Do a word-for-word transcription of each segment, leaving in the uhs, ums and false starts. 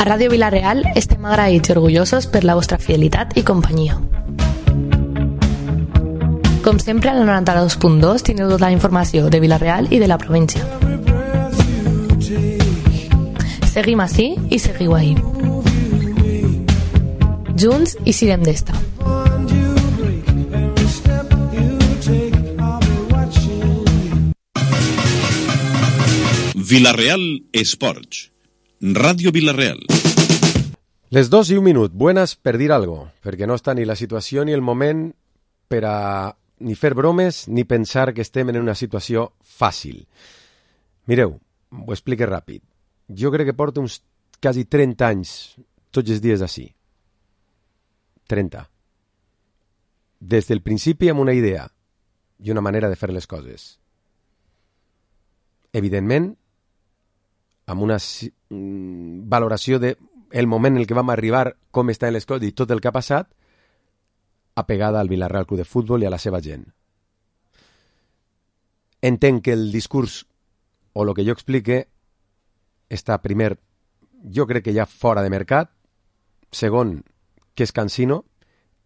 A Ràdio Vila-real estem agraïts i orgullosos per la vostra fidelitat i companyia. Com sempre, al noranta-dos punt dos teniu tota la informació de Vila-real i de la província. Seguim ací i seguiu ahí. Junts i sirem d'esta. Vila-real Esports. Ràdio Vila-real. Les dos i un minut, buenas per dir algo, perquè no està ni la situació ni el moment per a ni fer bromes ni pensar que estem en una situació fàcil. Mireu, ho explico ràpid. Jo crec que porto uns quasi trenta anys tots els dies així. trenta. Des del principi amb una idea i una manera de fer les coses. Evidentment, amb una valoració de el moment en el que vam arribar, com estan les coses i tot el que ha passat, apegada al Vila-real Club de Futbol i a la seva gent. Entenc que el discurs o el que jo explique està, primer, jo crec que ja fora de mercat, segon, que és cansino,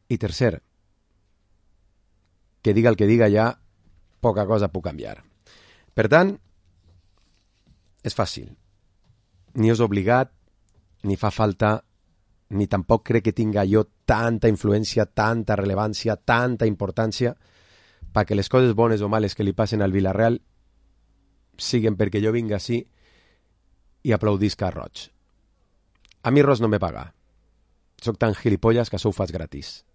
i tercer, que diga el que diga ja, poca cosa puc canviar. Per tant, és fàcil. Ni és obligat, ni fa falta, ni tampoc crec que tinga jo tanta influència, tanta rellevància, tanta importància perquè les coses bones o males que li passen al Vila-real siguen perquè jo vinga així i aplaudisca a Roig. A mi Roig no me paga. Soc tan gilipollas que això ho fas gratis.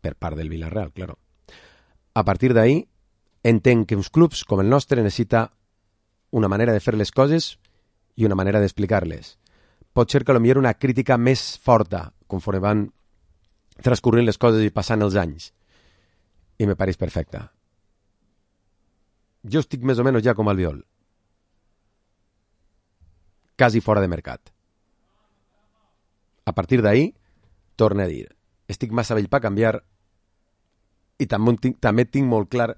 Per part del Vila-real, claro. A partir d'ahí, entenc que uns clubs com el nostre necessita una manera de fer les coses i una manera d'explicar-les. Pot ser que potser una crítica més forta conforme van transcorrent les coses i passant els anys. I me pareix perfecte. Jo estic més o menys ja com Albiol. Quasi fora de mercat. A partir d'ahí, torno a dir, estic massa vell per canviar i també tinc, també tinc molt clar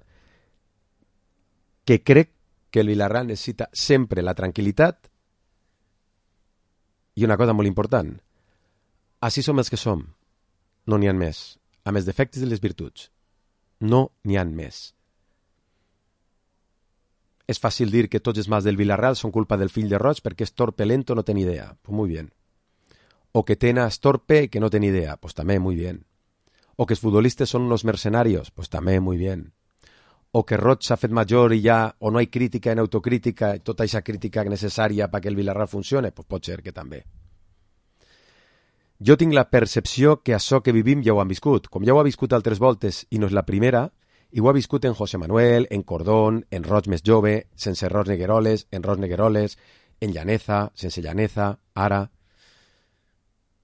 que crec que el Vila-real necessita sempre la tranquil·litat i una cosa molt important. Així som els que som. No n'hi ha més. Amb els defectes i les virtuts. No n'hi ha més. És fàcil dir que tots els mals del Vila-real són culpa del fill de Roig perquè és torpe lento, no té ni idea. Pues muy bien. O que Tena es torpe y que no té ni idea. Pues també muy bien. O que els futbolistes són unos mercenarios. Pues també muy bien. O que Roig s'ha fet major i ja, o no hi ha crítica en autocrítica, tota aquesta crítica necessària perquè el Vila-real funcione, pues pot ser que també. Jo tinc la percepció que això que vivim ja ho han viscut. Com ja ho ha viscut altres voltes i no és la primera, i ho ha viscut en José Manuel, en Cordón, en Roig més jove, sense Roig Negueroles, en Roig Negueroles, en Llaneza, sense Llaneza, ara.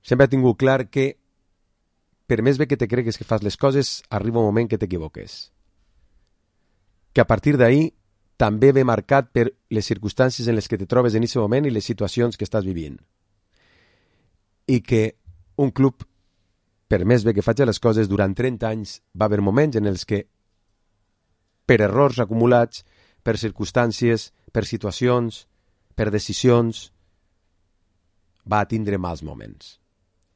Sempre he tingut clar que per més bé que te cregues que fas les coses, arriba un moment que t'equivoques. Que a partir d'ahí també ve marcat per les circumstàncies en les que te trobes en aquest moment i les situacions que estàs vivint. I que un club, per més bé que faci les coses, durant trenta anys va haver moments en els que, per errors acumulats, per circumstàncies, per situacions, per decisions, va tindre mals moments.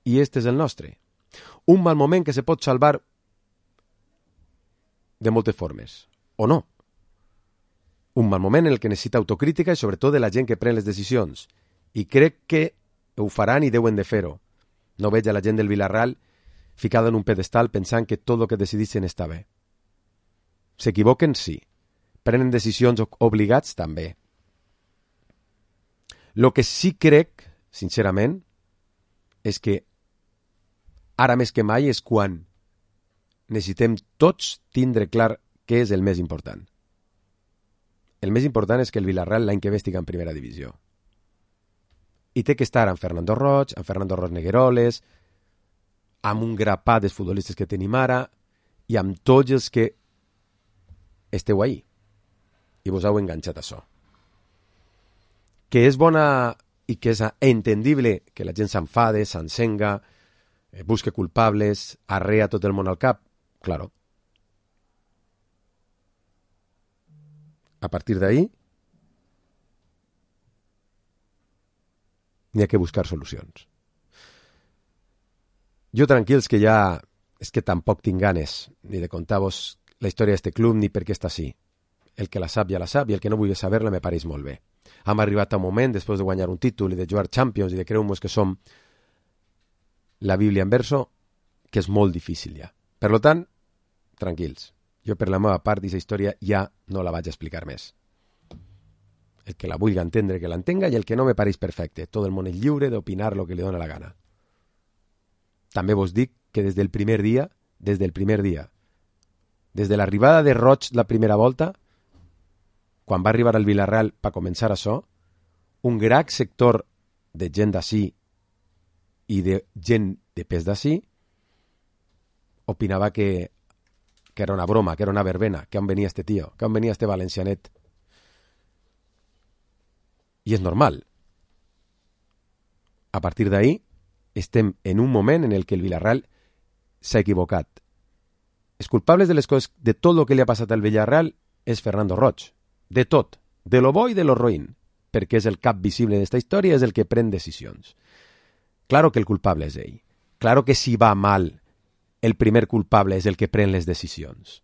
I este és el nostre. Un mal moment que se pot salvar de moltes formes. O no. Un mal moment en el que necessita autocrítica i sobretot de la gent que pren les decisions. I crec que ho faran i deuen de fer-ho. No veig a la gent del Vila-real ficada en un pedestal pensant que tot el que decidissin està bé. S'equivoquen? Sí. Prenen decisions obligats? També. Lo que sí crec, sincerament, és que ara més que mai és quan necessitem tots tindre clar què és el més important. El més important és que el Vila-real l'any que ve estigui en primera divisió. I té que estar amb Fernando Roig, amb Fernando Roig Negueroles, amb un grapat dels futbolistes que tenim ara i amb tots els que esteu ahí. I vos heu enganxat a això. Que és bona i que és entendible que la gent s'enfade, s'encenga, busque culpables, arrea tot el món al cap. Claro. A partir d'ahí, n'hi ha que buscar solucions. Jo tranquils que ja és que tampoc tinc ganes ni de contar-vos la història d'este club ni per què està així. El que la sap ja la sap i el que no vulgui saber-la me pareix molt bé. Hem arribat a un moment, després de guanyar un títol i de jugar Champions i de creu-nos que som la Bíblia en verso, que és molt difícil ja. Per tant, tranquils. Jo per la meva part d'aquesta història ja no la vaig explicar més. El que la vulgui entendre, que l'entenga, i el que no me pareix perfecte. Tot el món és lliure d'opinar el que li dóna la gana. També vos dic que des del primer dia, des del primer dia, des de l'arribada de Roig la primera volta, quan va arribar al Villarreal per començar això, un gran sector de gent d'ací i de gent de pes d'ací opinava que, que era una broma, que era una verbena, que on venia este tio, que on venia este valencianet. I és normal. A partir d'ahí estem en un moment en el que el Villarreal s'ha equivocat. Els culpables de les coses, de tot el que li ha passat al Villarreal és Fernando Roig. De tot. De lo bo i de lo roïn. Perquè és el cap visible d'esta història, és el que pren decisions. Claro que el culpable és ell. Claro que si va mal, el primer culpable és el que pren les decisions.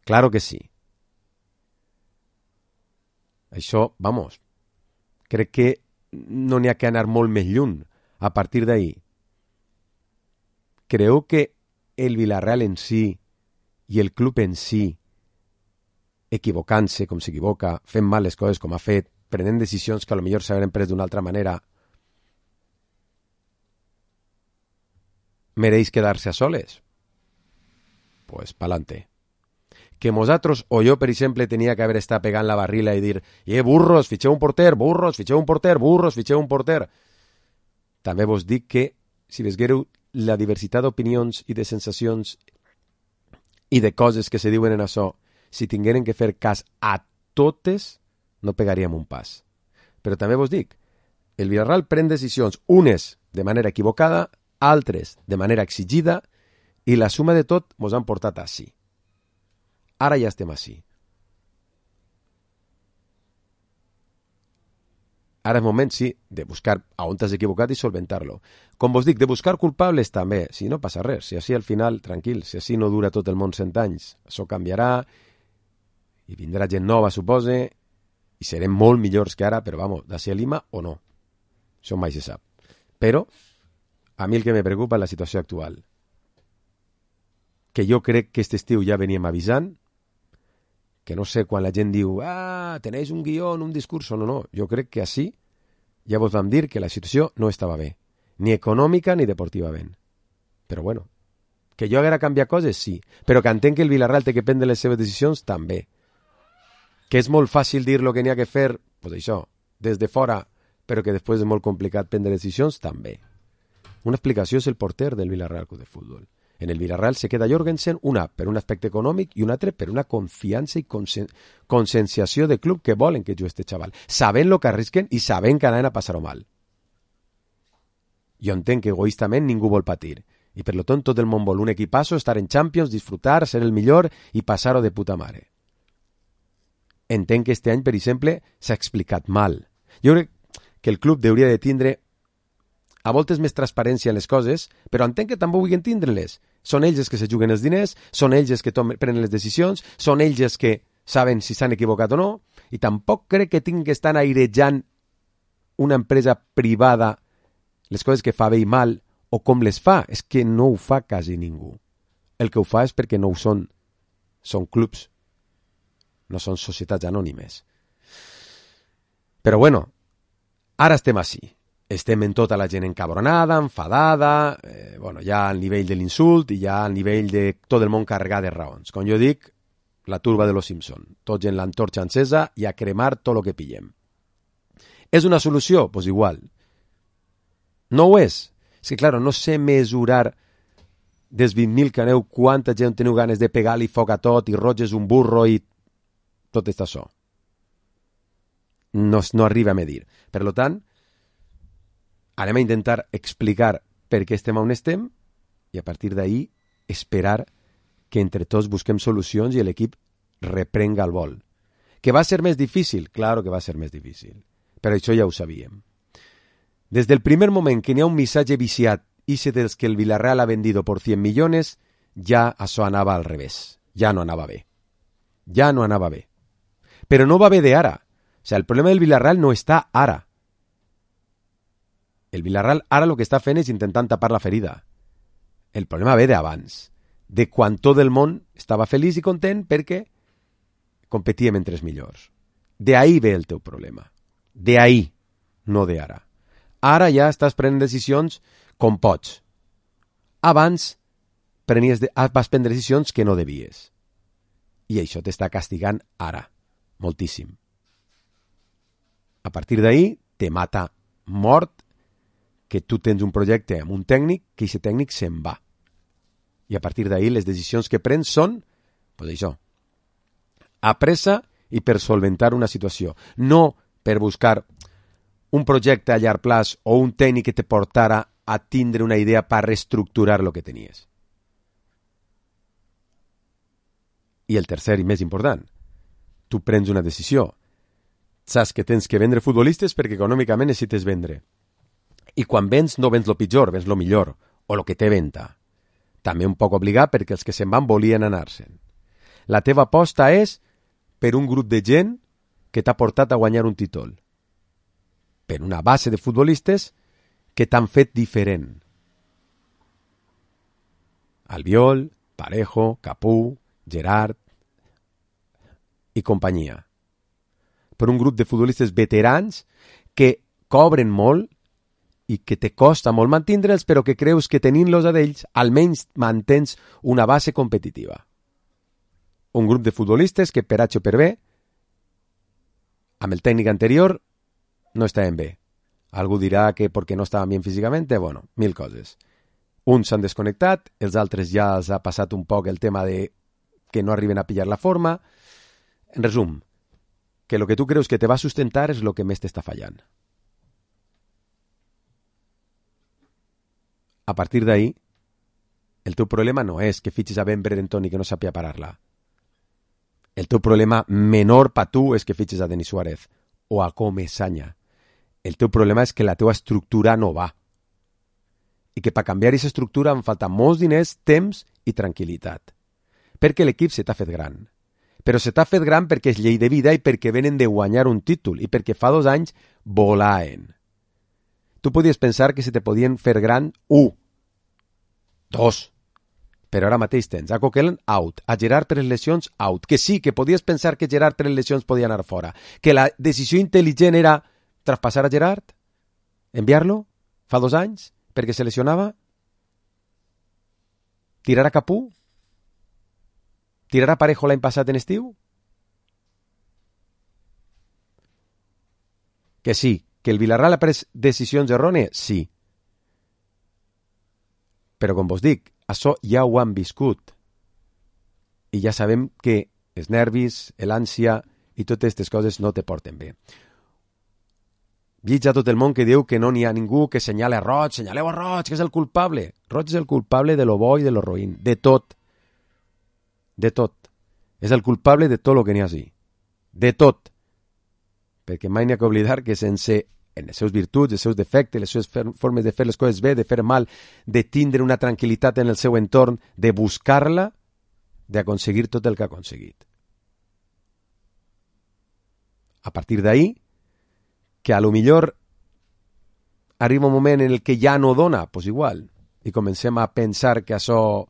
Claro que sí. Això, vamos, crec que no n'hi ha que anar molt més lluny a partir d'ahí. Creu que el Villarreal en si i el club en si, equivocant-se com s'equivoca, fent mal les coses com ha fet, prenent decisions que potser s'haurien pres d'una altra manera, mereix quedar-se a soles? Pues pa'lante. Que nosaltres, o jo, per exemple, tenia que haver estat pegant la barrila i dir «Eh, burros, fitxeu un porter, burros, fitxeu un porter, burros, fitxeu un porter». També vos dic que, si vesguereu la diversitat d'opinions i de sensacions i de coses que se diuen en això, si tingueren que fer cas a totes, no pegaríem un pas. Però també vos dic, el Villarreal pren decisions, unes de manera equivocada, altres de manera exigida, i la suma de tot mos han portat així. Ara ja estem així. Ara és moment, sí, de buscar a on t'has equivocat i solventar-lo. Com vos dic, de buscar culpables també, si no passa res, si així al final, tranquil, si així no dura tot el món cent anys, això canviarà, i vindrà gent nova, supose, i serem molt millors que ara, però vamos, d'ací a Lima o no. Això mai se sap. Però, a mi el que me preocupa és la situació actual. Que jo crec que aquest estiu ja veníem avisant, que no sé quan la gent diu «Ah, tenéis un guión, un discurso». No, no, jo crec que així ja vos vam dir que la situació no estava bé, ni econòmica ni deportivament. Però bueno, que jo haguera canviat coses, sí, però que entenc que el Villarreal té que prendre les seves decisions, també. Que és molt fàcil dir el que n'hi ha que fer, pues això, des de fora, però que després és molt complicat prendre decisions, també. Una explicació és el porter del Villarreal Club de Futbol. En el Villarreal se queda Jorgensen, una per un aspecte econòmic i un altre per una confiança i consen conscienciació de club que volen que jugui este xaval. Sabent el que arrisquen i sabent que anaven a passar-ho mal. Jo entenc que egoístament ningú vol patir. I per lo tant tot el món vol un equipasso, estar en Champions, disfrutar, ser el millor i passar-ho de puta mare. Entenc que este any, per exemple, s'ha explicat mal. Jo crec que el club hauria de tindre a voltes més transparència en les coses, però entenc que també vulguin tindre-les. Són ells els que se juguen els diners, són ells els que prenen les decisions, són ells els que saben si s'han equivocat o no, i tampoc crec que tinguin que estar airejant una empresa privada les coses que fa bé i mal, o com les fa. És que no ho fa quasi ningú. El que ho fa és perquè no ho són. Són clubs, no són societats anònimes. Però bueno, ara estem així. Estem en tota la gent encabronada, enfadada, eh, bueno, ja al nivell de l'insult i ja al nivell de tot el món carregat de raons. Com jo dic, la turba de los Simpson. Tots en l'antorxa encesa i a cremar tot el que pillem. És una solució? Doncs pues igual. No ho és. És que, clar, no sé mesurar des vint mil que aneu quanta gent teniu ganes de pegar-li foc a tot i Roig és un burro i tot està això. No, no arriba a medir. Per tant, anem a intentar explicar per què estem on estem i a partir d'ahí esperar que entre tots busquem solucions i l'equip reprenga el vol. Que va ser més difícil? Claro que va ser més difícil. Però això ja ho sabíem. Desde el primer moment que n'hi ha un missatge viciat, ixe dels que el Villarreal ha vendido por cien millones, ja això anava al revés. Ja no anava bé. Ja no anava bé. Però no va bé de ara. O sea, el problema del Villarreal no està ara. El Villarreal ara el que està fent és intentant tapar la ferida. El problema ve d'abans. De quan tot el món estava feliç i content perquè competíem entre els millors. De ahí ve el teu problema. De ahí, no de ara. Ara ja estàs prenent decisions com pots. Abans prenies de, vas prendre decisions que no devies. I això t'està castigant ara, moltíssim. A partir d'ahí te mata mort que tu tens un projecte amb un tècnic que aquest tècnic se'n va. I a partir d'ahí les decisions que prens són, pues això, a pressa i per solventar una situació. No per buscar un projecte a llarg plaç o un tècnic que te portara a tindre una idea per reestructurar el que tenies. I el tercer i més important, tu prens una decisió. Saps que tens que vendre futbolistes perquè econòmicament necessites vendre. I quan vens no vens lo pitjor, vens lo millor, o lo que té venta. També un poc obligat perquè els que se'n van volien anar-se'n. La teva aposta és per un grup de gent que t'ha portat a guanyar un títol. Per una base de futbolistes que t'han fet diferent. Albiol, Parejo, Capú, Gerard i companyia. Per un grup de futbolistes veterans que cobren molt i que te costa molt mantindre'ls, però que creus que tenint-los a d'ells almenys mantens una base competitiva. Un grup de futbolistes que per H o per B, amb el tècnic anterior, no estaven bé. Algú dirà que perquè no estaven bé físicament, bueno, mil coses. Uns s'han desconnectat, els altres ja els ha passat un poc el tema de que no arriben a pillar la forma. En resum, que el que tu creus que te va sustentar és el que més t'està fallant. A partir d'ahí, el teu problema no és que fitxis a Ben Brereton i que no sàpia parar-la. El teu problema menor per tu és que fitxis a Denis Suárez o a Comesaña. El teu problema és que la teua estructura no va. I que per canviar aquesta estructura em falta molts diners, temps i tranquil·litat. Perquè l'equip se t'ha fet gran. Però se t'ha fet gran perquè és llei de vida i perquè venen de guanyar un títol i perquè fa dos anys volaen. Tu podies pensar que se te podien fer gran un, dos, però ara mateix tens a Coquelin out, a Gerard per les lesions out, que sí, que podies pensar que Gerard per les lesions podia anar fora, que la decisió intel·ligent era traspassar a Gerard, enviar-lo, fa dos anys, perquè se lesionava, tirar a Capú, tirar a Parejo l'any passat en estiu, que sí, que el Villarreal ha pres decisions errònies, sí. Però com vos dic, això ja ho han viscut. I ja sabem que els nervis, l'ànsia i totes aquestes coses no te porten bé. Llitja tot el món que diu que no n'hi ha ningú que senyale a Roig, senyaleu a Roig, que és el culpable. Roig és el culpable de lo bo i de lo roïn, de tot. De tot. És el culpable de tot el que n'hi ha així. De tot. Perquè mai n'hi ha que oblidar que sense en les seus virtuts, els seus defectes, les seves formes de fer les coses bé, de fer mal, de tindre una tranquil·litat en el seu entorn, de buscar-la, d'aconseguir tot el que ha aconseguit. A partir d'ahí, que a lo millor arriba un moment en el que ja no dona, pues igual, i comencem a pensar que això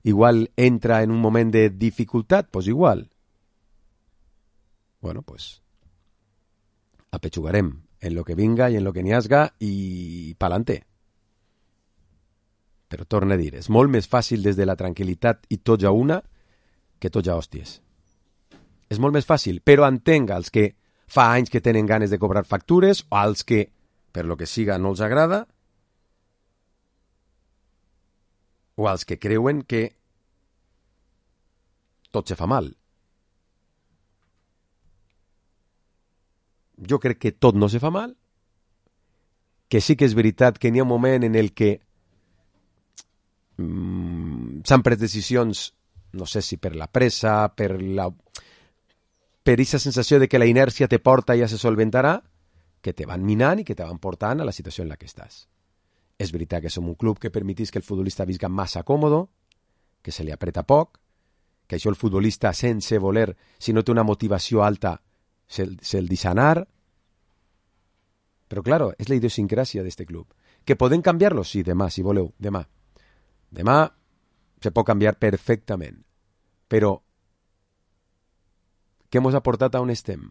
igual entra en un moment de dificultat, pues igual. Bueno, pues apetxugarem en lo que vinga i en lo que n'hi hasga i pa'lante. Però torna a dir, és molt més fàcil des de la tranquil·litat i tots a una que tots a hòsties. És molt més fàcil, però entenc els que fa anys que tenen ganes de cobrar factures o als que, per lo que siga, no els agrada, o als que creuen que tot se fa mal. Jo crec que tot no se fa mal, que sí que és veritat que n'hi ha un moment en el que mm, s'han pres decisions, no sé si per la pressa, per la per aquesta sensació de que la inèrcia te porta i ja se solventarà, que te van minant i que te van portant a la situació en la que estàs. És veritat que som un club que permetís que el futbolista visca massa còmodo, que se li apreta poc, que això el futbolista sense voler, si no té una motivació alta, se'l, se'l deixa anar. Però, claro, és la idiosincràsia d'este club. Que podem canviar-lo? Sí, demà, si voleu, demà. Demà se pot canviar perfectament. Però què mos ha portat a on estem?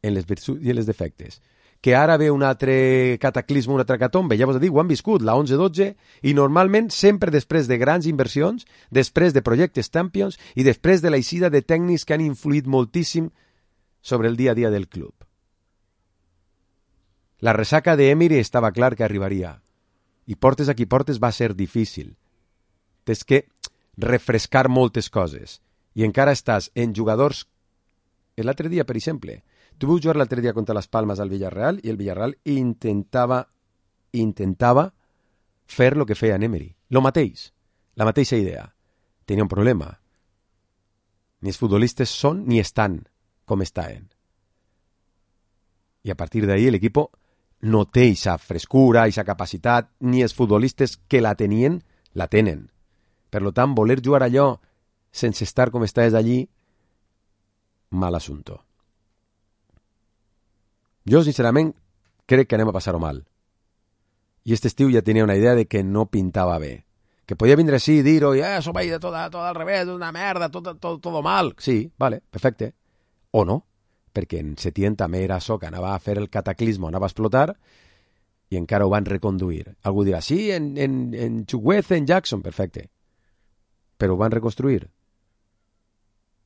En les virtuts i en els defectes. Que ara ve un altre cataclisme, una altra catombe, ja vos he dit, ho han viscut, la onze dotze, i normalment sempre després de grans inversions, després de projectes Champions i després de l'eixida de tècnics que han influït moltíssim sobre el dia a dia del club. La ressaca d'Emery estava clar que arribaria, i portes a qui portes va ser difícil. Tens que refrescar moltes coses, i encara estàs en jugadors. L'altre dia, per exemple, tu vas jugar l'altre dia contra les Palmes al Villarreal i el Villarreal intentava intentava fer el que feia en Emery. Lo mateix, la mateixa idea. Tenia un problema. Ni els futbolistes són ni estan com estaven. I a partir d'ahí l'equip no té aquesta frescura, aquesta capacitat, ni els futbolistes que la tenien, la tenen. Per tant, voler jugar allò sense estar com estaves allí, mal assunto. Jo, sincerament, crec que anem a passar-ho mal. I este estiu ja tenia una idea de que no pintava bé. Que podia vindre així i dir-ho, i eh, això va ir tot, tot al revés, una merda, tot, tot, tot mal. Sí, vale, perfecte. O no, perquè en Setién també era això, que anava a fer el cataclisme, anava a explotar, i encara ho van reconduir. Algú dirà, sí, en, en, en Chukwueze, en Jackson, perfecte. Però ho van reconstruir.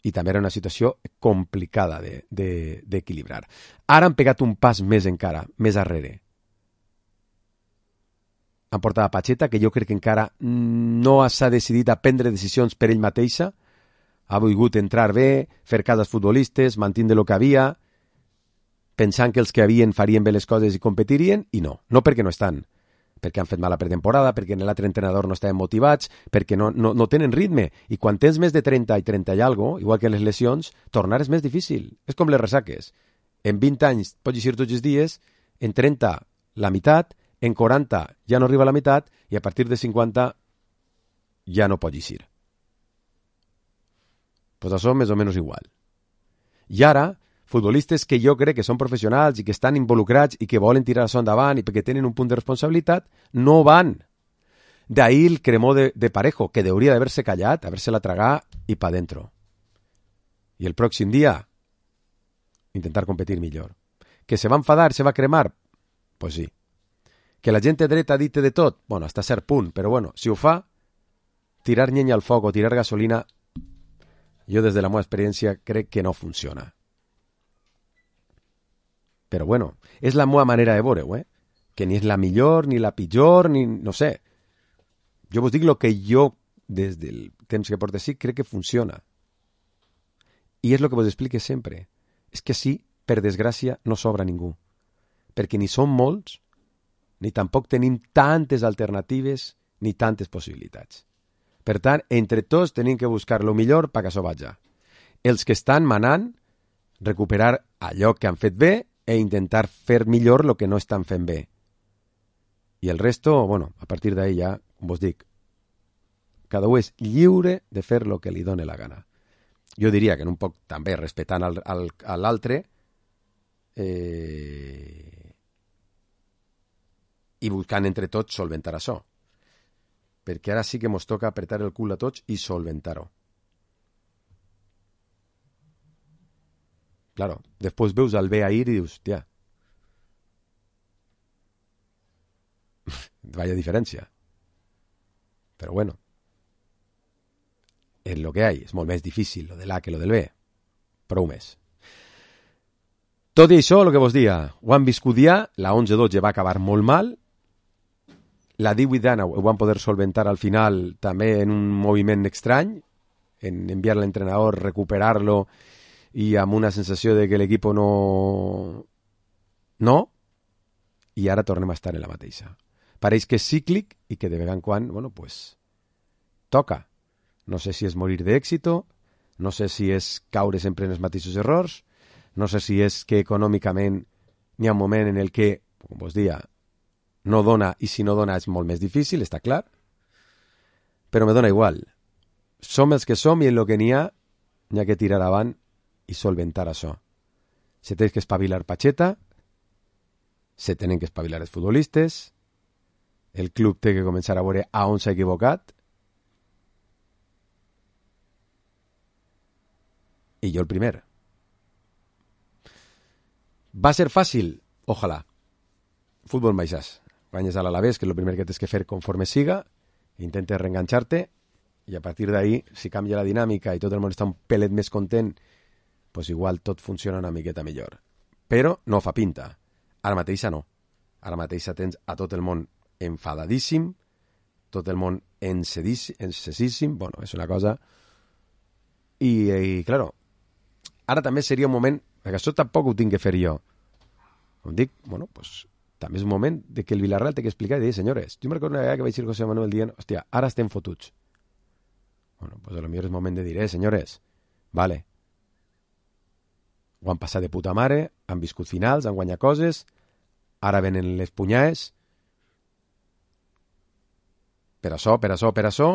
I també era una situació complicada de, de, d'equilibrar. Ara han pegat un pas més encara, més arrere. Han portat a Pacheta, que jo crec que encara no s'ha decidit a prendre decisions per ell mateixa. Ha volgut entrar bé, fer cas als futbolistes, mantindre el que havia, pensant que els que havien farien bé les coses i competirien, i no. No perquè no estan. Perquè han fet mala pretemporada, perquè en l'altre entrenador no estaven motivats, perquè no, no, no tenen ritme. I quan tens més de trenta i trenta i algo, igual que en les lesions, tornar és més difícil. És com les ressaques. En vint anys pots eixir tots els dies, en trenta la meitat, en quaranta ja no arriba a la meitat, i a partir de cinquanta ja no pots eixir. Pues això més o menys igual. I ara, futbolistes que jo crec que són professionals i que estan involucrats i que volen tirar això endavant i perquè tenen un punt de responsabilitat, no van. D'ahí el cremó de, de Parejo, que hauria d'haver-se callat, haver-se-la tragar i pa dentro. I el pròxim dia, intentar competir millor. Que se va enfadar, se va cremar? Pues sí. Que la gent dreta dite de tot? Bueno, hasta cert punt, però bueno, si ho fa, tirar llenya al foc o tirar gasolina, jo des de la meva experiència crec que no funciona. Però bueno, és la meva manera de veure-ho, eh? Que ni és la millor, ni la pitjor, ni no sé. Jo vos dic el que jo, des del temps que porto així, crec que funciona. I és el que vos explique sempre. És que sí, per desgràcia, no sobra ningú. Perquè ni som molts, ni tampoc tenim tantes alternatives, ni tantes possibilitats. Per tant, entre tots tenim que buscar el millor perquè això vaja. Els que estan manant, recuperar allò que han fet bé, e intentar fer millor el que no estan fent bé. I el resto, bueno, a partir d'ahí ja, com vos dic, cada un és lliure de fer el que li doni la gana. Jo diria que en un poc també respectant al, al, a l'altre eh, i buscant entre tots solventar això. Perquè ara sí que mos toca apretar el cul a tots i solventar-ho. Claro, después veus al bé a ir i dius, tia, vaya diferència. Però bueno, és lo que hay, és molt més difícil lo de l'A que lo del B, prou més. Tot i això, el que vos dia, ho han viscut ja, la onze dotze va acabar molt mal, la divuit d'Anna ho van poder solventar al final també en un moviment estrany, en enviar l'entrenador, recuperar-lo, i amb una sensació de que l'equip no... No, i ara tornem a estar en la mateixa. Pareix que és cíclic i que de vegada en quan, bueno, pues, toca. No sé si és morir d'èxito, no sé si és caure sempre en els mateixos errors, no sé si és que econòmicament N'hi ha un moment en el que, com vos dia, no dona, i si no dona és molt més difícil, està clar, però me dona igual. Som els que som i en el que n'hi ha, n'hi ha que tirar avant i solventar això. Se té que espavilar Pacheta, se tenen que espavilar els futbolistes, el club té que començar a veure a on s'ha equivocat, i jo el primer. Va ser fàcil? Ojalà. Futbol baixàs. Guanyes a l'Alavés, que és el primer que tens que fer conforme siga, intentes reenganxar-te, i a partir d'ahí, si canvia la dinàmica i tot el món està un pelet més content, pues igual tot funciona una miqueta millor. Però no fa pinta. Ara mateixa no. Ara mateixa tens a tot el món enfadadíssim, tot el món encesíssim, bueno, és una cosa... I, i claro, ara també seria un moment, perquè això tampoc ho tinc que fer jo. Com dic, bueno, pues també és un moment de que el Villarreal té que explicar i dir, senyores, jo me recordo una vegada que vaig dir José Manuel dient, hòstia, ara estem fotuts. Bueno, pues a lo millor és moment de dir, eh, senyores, vale, ho han passat de puta mare, han viscut finals, han guanyat coses, ara venen les punyades, per això, per això, per això,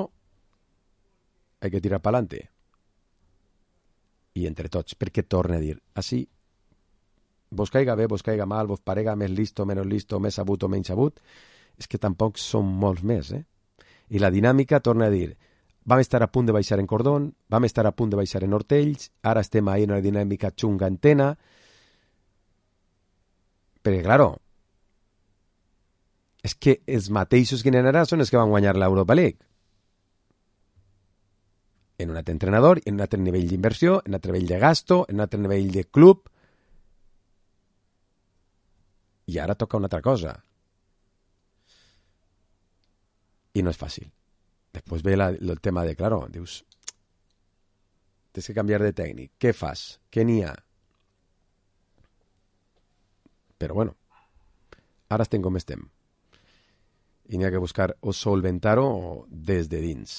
hay que tirar pa'lante. I entre tots, perquè torna a dir, així, vos caiga bé, vos caiga mal, vos parega més listo, menys listo, més sabut o menys sabut, és que tampoc són molts més, eh? I la dinàmica torna a dir, vam estar a punt de baixar en Cordón, vam estar a punt de baixar en Hortells, ara estem ahí en una dinàmica xunga en Tena, perquè, claro, és que els mateixos que n'hi ha són els que van guanyar l'Europa League. En un altre entrenador, en un altre nivell d'inversió, en un altre nivell de gasto, en un altre nivell de club, i ara toca una altra cosa. I no és fàcil. Després ve la, el tema de, claro, dius, tens que canviar de tècnic. Què fas? Què n'hi ha? Però bueno, ara estem com estem. I n'hi ha que buscar o solventar-ho des de dins.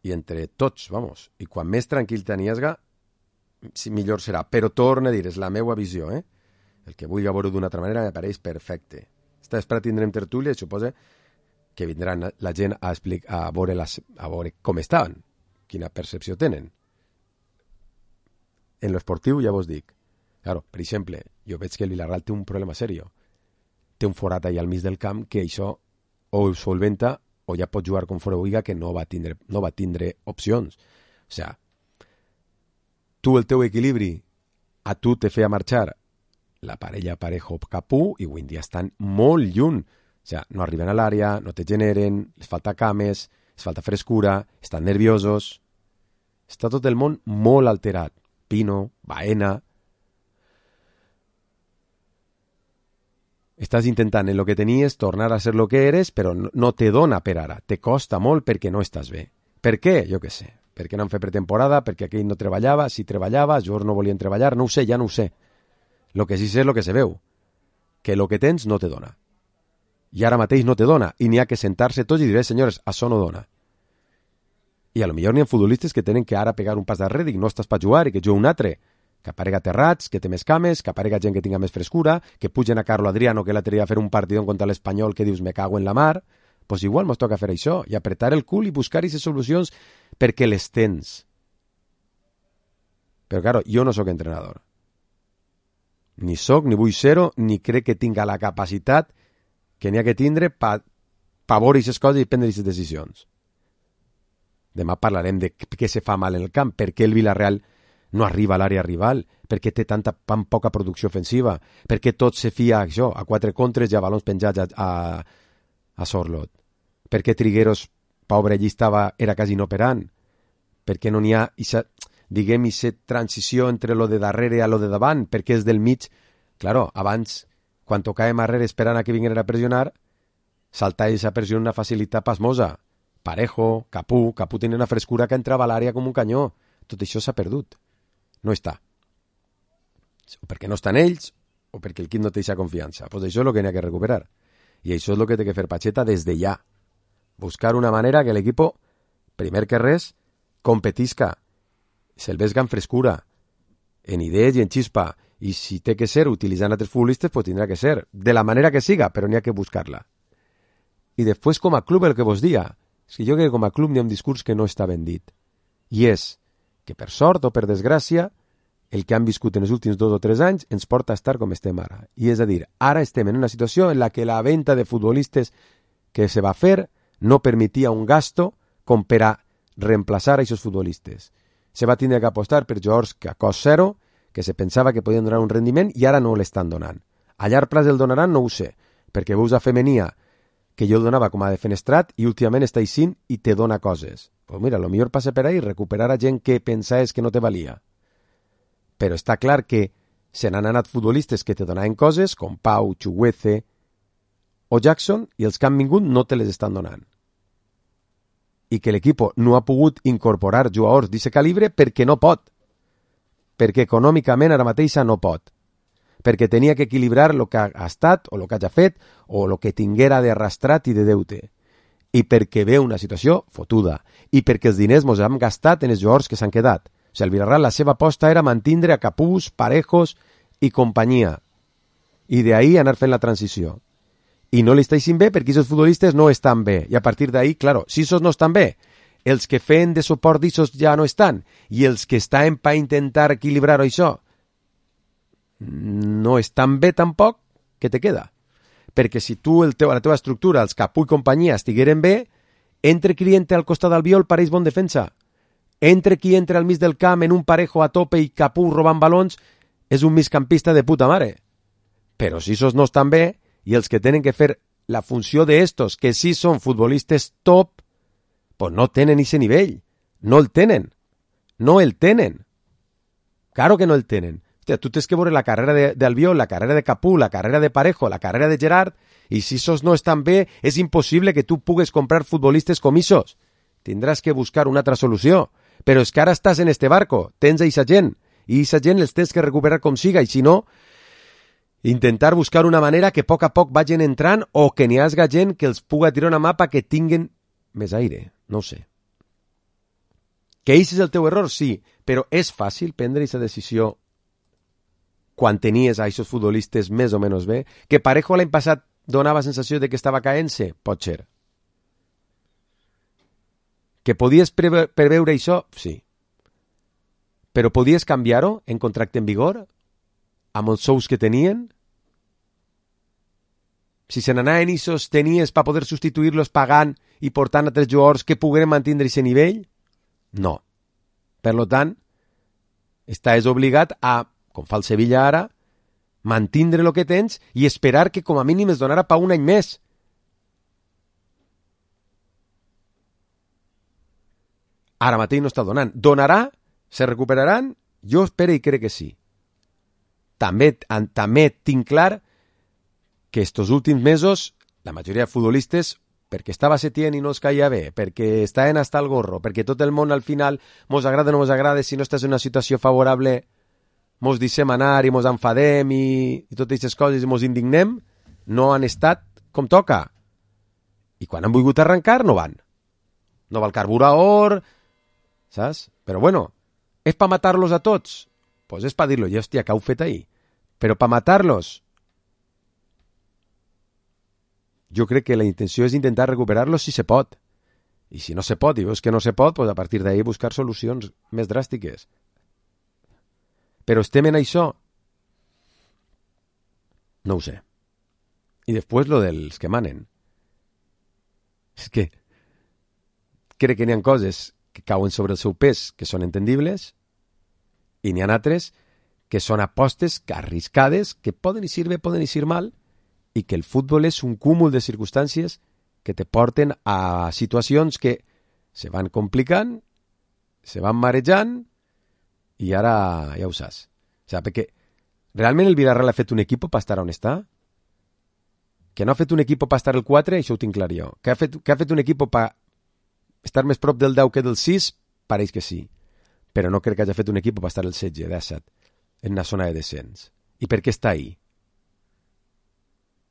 I entre tots, vamos. I quan més tranquil t'aniesga, si millor serà. Però torna a dir, és la meva visió, eh? El que vulgui veure d'una altra manera m'apareix perfecte. Esta vespre tindrem tertúlia i suposa que vindran la gent a, explicar, a, veure les, a veure com estaven, quina percepció tenen. En l'esportiu ja vos dic. Claro, per exemple, jo veig que el Villarreal té un problema serio. Té un forat allà al mig del camp que això o ho solventa o ja pot jugar com fora Uiga, que no va tindre, no va tindre opcions. O sigui, tu el teu equilibri a tu te feia marxar la parella Parejo-Capú i avui en dia estan molt lluny. O sigui, no arriben a l'àrea, no te generen, les falta cames, les falta frescura, estan nerviosos. Està tot el món molt alterat. Pino, Baena... Estàs intentant en lo que tenies tornar a ser lo que eres, però no te dona per ara. Te costa molt perquè no estàs bé. Per què? Jo què sé. Perquè no han fet pretemporada, perquè aquell no treballava, si treballava, els jugadors no volien treballar, no ho sé, ja no ho sé. Lo que sí sé és lo que se veu. Que lo que tens no te dona. I ara mateix no te dona. I n'hi ha que sentar-se tots i dir, senyores, això no dona. I a lo millor n'hi ha futbolistes que tenen que ara pegar un pas darrere, dic, no estàs per jugar i que jugui un altre. Que aparega Terrats, que té més cames, que aparega gent que tinga més frescura, que pugen a Carlo Adriano, que l'altre dia a fer un partidón contra l'Espanyol, que dius, me cago en la mar, pues igual mos toca fer això, i apretar el cul i buscar aquestes solucions perquè les tens. Però, claro, jo no sóc entrenador. Ni sóc, ni vull ser-ho, ni crec que tinga la capacitat que n'hi ha que tindre per pa veure aquestes coses i prendre aquestes decisions. Demà parlarem de què se fa mal en el camp, per què el Villarreal no arriba a l'àrea rival, perquè té tanta tan poca producció ofensiva, perquè tot se fia a això, a quatre contres i a balons penjats a, a, a Sorlot, perquè Trigueros, pobre, allí estava, era quasi inoperant, perquè no n'hi ha, ixa, diguem, ixa transició entre lo de darrere a lo de davant, perquè és del mig, claro, abans, quan tocàvem arrere esperant a que vingueren a pressionar, saltava aquesta pressió una facilitat pasmosa. Parejo, Capú, Capú tenia una frescura que entrava a l'àrea com un canyó. Tot això s'ha perdut. No està. O perquè no estan ells, o perquè el equip no té aquesta confiança. Pues això és el que n'hi ha que recuperar. I això és el que té que fer Pacheta des de ja. Buscar una manera que l'equip, primer que res, competisca, se'l vesga en frescura, en idees i en xispa, I si té que ser utilitzant altres futbolistes, pues tindrà que ser. De la manera que siga, però n'hi ha que buscar-la. I després, com a club, el que vos dia, és que jo crec que com a club n'hi ha un discurs que no està ben dit. I és que, per sort o per desgràcia, el que han viscut en els últims dos o tres anys ens porta a estar com estem ara. I és a dir, ara estem en una situació en la que la venda de futbolistes que se va fer no permetia un gasto com per a reemplaçar a aquests futbolistes. Se va tindre que apostar per jugadors que a cost zero, que se pensava que podien donar un rendiment i ara no l'estan donant. A llarg plaç el donaran, no ho sé, perquè veus a Femenia, que jo el donava com a defenestrat i últimament està eixint i te dona coses. Pues mira, lo millor passa per ahí recuperar a gent que pensaves que no te valia. Però està clar que se n'han anat futbolistes que te donaven coses, com Pau, Chuguece o Jackson, i els que han vingut no te les estan donant. I que l'equip no ha pogut incorporar jugadors d'aquest calibre perquè no pot. Perquè econòmicament ara mateixa no pot. Perquè tenia que equilibrar el que ha estat o el que hagi fet o el que tinguera d'arrastrat i de deute. I perquè ve una situació fotuda. I perquè els diners mos hem gastat en els jugadors que s'han quedat. O sigui, el Villarreal, la seva aposta era mantindre a Capús, Parejos i companyia. I d'ahí anar fent la transició. I no li està eixint bé perquè aquests futbolistes no estan bé. I a partir d'ahí, claro, si esos no estan bé, els que feien de suport d'ixos ja no estan, i els que estan per intentar equilibrar això no estan bé tampoc, què te queda? Perquè si tu, el teu, la teva estructura, els Capú i companyia estigueren bé, entre qui entra al costat d'Albiol pareix bon defensa. Entre qui entra al mig del camp en un Parejo a tope i Capú robant balons és un migcampista de puta mare. Però si esos no estan bé, i els que tenen que fer la funció d'estos, que sí són futbolistes top, pues no tenen ese nivell. No el tenen. No el tenen. Claro que no el tenen. Hòstia, tu tens que veure la carrera d'Albiol, la carrera de Capú, la carrera de Parejo, la carrera de Gerard, i si esos no estan bé, és impossible que tu pugues comprar futbolistes com esos. Tindràs que buscar una altra solució. Però és que ara estàs en este barco, tens a eixa gent, i eixa gent els tens que recuperar com siga, i si no, intentar buscar una manera que a poc a poc vagin entrant o que n'hi hagi gent que els puga tirar una mapa que tinguen més aire, no ho sé. Que això és el teu error, sí, però és fàcil prendre aquesta decisió quan tenies a aquests futbolistes més o menys bé? Que Parejo l'any passat donava sensació de que estava caent-se? Pot ser. Que podies preve preveure això? Sí. Però podies canviar-ho en contracte en vigor? Amb els sous que tenien? Si se n'anaven i tenies per poder substituir-los pagant i portant a tres jugadors que pogueren mantenir aquest nivell? No. Per tant, estàs obligat a, com fa el Sevilla ara, mantindre el que tens i esperar que com a mínim es donarà per un any més. Ara mateix no està donant. Donarà? Se recuperaran? Jo espero i crec que sí. També, també tinc clar que estos últims mesos la majoria de futbolistes, perquè estava Setién i no els caia bé, perquè estaven hasta el gorro, perquè tot el món al final mos agrada o no mos agrada, si no estàs en una situació favorable mos deixem anar i mos enfadem i, i totes aquestes coses i mos indignem, no han estat com toca. I quan han volgut arrencar no van. No va el carburador, saps? Però bueno, és pa matar-los a tots? Pues és pa dir-lo, ja hòstia, que heu fet ahir. Però pa matar-los, jo crec que la intenció és intentar recuperar-los si se pot. I si no se pot, i veus que no se pot, pues a partir d'ahir buscar solucions més dràstiques. Però estem en això? No ho sé. I després lo dels que manen. És que crec que n'hi ha coses que cauen sobre el seu pes que són entendibles i n'hi ha altres que són apostes que arriscades, que poden eixir bé, poden eixir mal, i que el futbol és un cúmul de circumstàncies que te porten a situacions que se van complicant, se van marejant, i ara ja ho saps. O sigui, perquè realment el Villarreal ha fet un equip per estar on està? Que no ha fet un equip per estar el quatre, això ho tinc clar jo. Que ha fet, que ha fet un equip per estar més prop del deu que del sis, pareix que sí. Però no crec que hagi fet un equip per estar el setze, disset, en una zona de descens. I per què està ahí?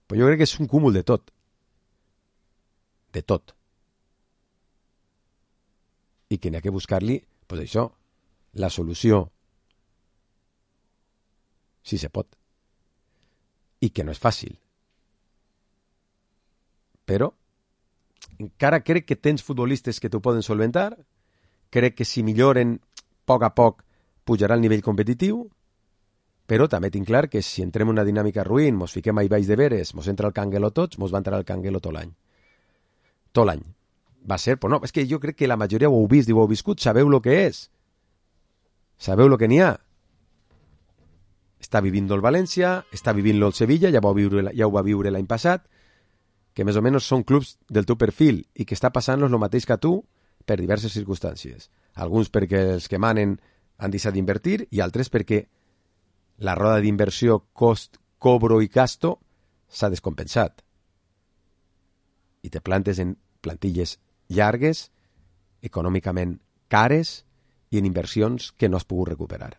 Pues jo crec que és un cúmul de tot. De tot. I que n'hi ha que buscar-li, pues això, la solució. Sí se pot. I que no és fàcil. Però encara crec que tens futbolistes que t'ho poden solventar. Crec que si milloren a poc a poc pujarà el nivell competitiu, però també tinc clar que si entrem en una dinàmica ruïn, mos fiquem a baix de veres, mos entra el canguelo tots, mos va entrar el canguelo tot l'any. Tot l'any. Va ser, però no, és que jo crec que la majoria ho heu vist i ho heu viscut, sabeu el que és. Sabeu el que n'hi ha. Està vivint-lo el València, està vivint-lo el Sevilla, ja, viure, ja ho va viure l'any passat, que més o menys són clubs del teu perfil i que està passant-los el mateix que a tu per diverses circumstàncies. Alguns perquè els que manen han deixat d'invertir i altres perquè la roda d'inversió cost, cobro i gasto s'ha descompensat. I te plantes en plantilles llargues, econòmicament cares i en inversions que no has pogut recuperar.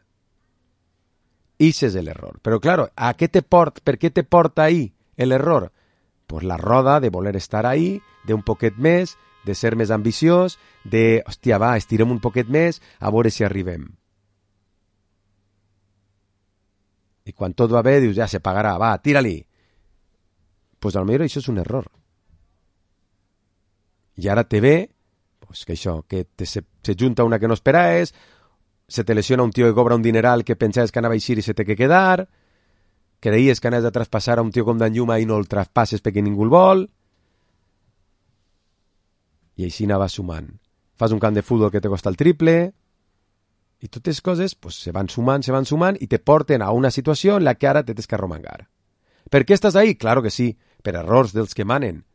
Ese és l'error. Però, claro, ¿a què te porta, per què te porta ahí l'error? Pues la roda de voler estar ahí, de un poquet més, de ser més ambiciós, de, hòstia, va, estirem un poquet més, a veure si arribem. I quan tot va bé, dius, ja se pagarà, va, tira-li. Pues potser això és un error. I ara te ve, pues que això, que te, se, se junta una que no esperaves, se te lesiona un tio que cobra un dineral que pensaves que anava a eixir i se té que quedar, creies que anaves a traspassar a un tio com Dan Lluma i no el traspasses perquè ningú el vol, i així anava sumant. Fas un camp de futbol que te costa el triple, i totes les coses pues, se van sumant, se van sumant, i te porten a una situació en la que ara te tens que arromangar. Per què estàs ahí? Claro que sí, per errors dels que manen.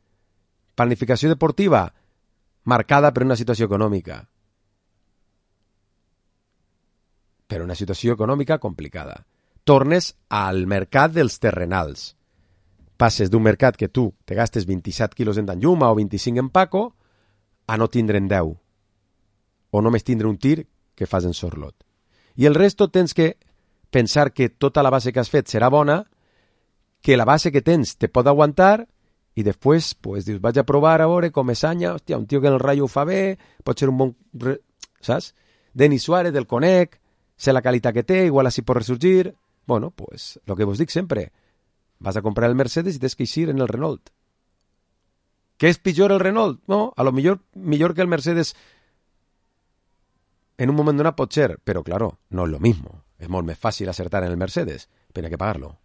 Planificació deportiva marcada per una situació econòmica. Per una situació econòmica complicada. Tornes al mercat dels terrenals. Passes d'un mercat que tu te gastes vint-i-set quilos en Dan Lluma o vint-i-cinc en Paco a no tindre'n deu. O només tindre un tir que fas en Sorlot. I el resto tens que pensar que tota la base que has fet serà bona, que la base que tens te pot aguantar i després pues, dius, vaig a provar a veure com és Anya, hòstia, un tio que en el Rayo ho fa bé, pot ser un bon... Saps? Denis Suárez, del conec, sé la qualitat que té, igual així pot ressorgir. Bueno, pues, lo que vos dic sempre, vas a comprar el Mercedes i tens que eixir en el Renault. Què és pitjor el Renault? No, a lo millor, millor que el Mercedes en un moment donat pot ser, però claro, no és lo mismo. És molt més fàcil acertar en el Mercedes, però hay que pagar-lo.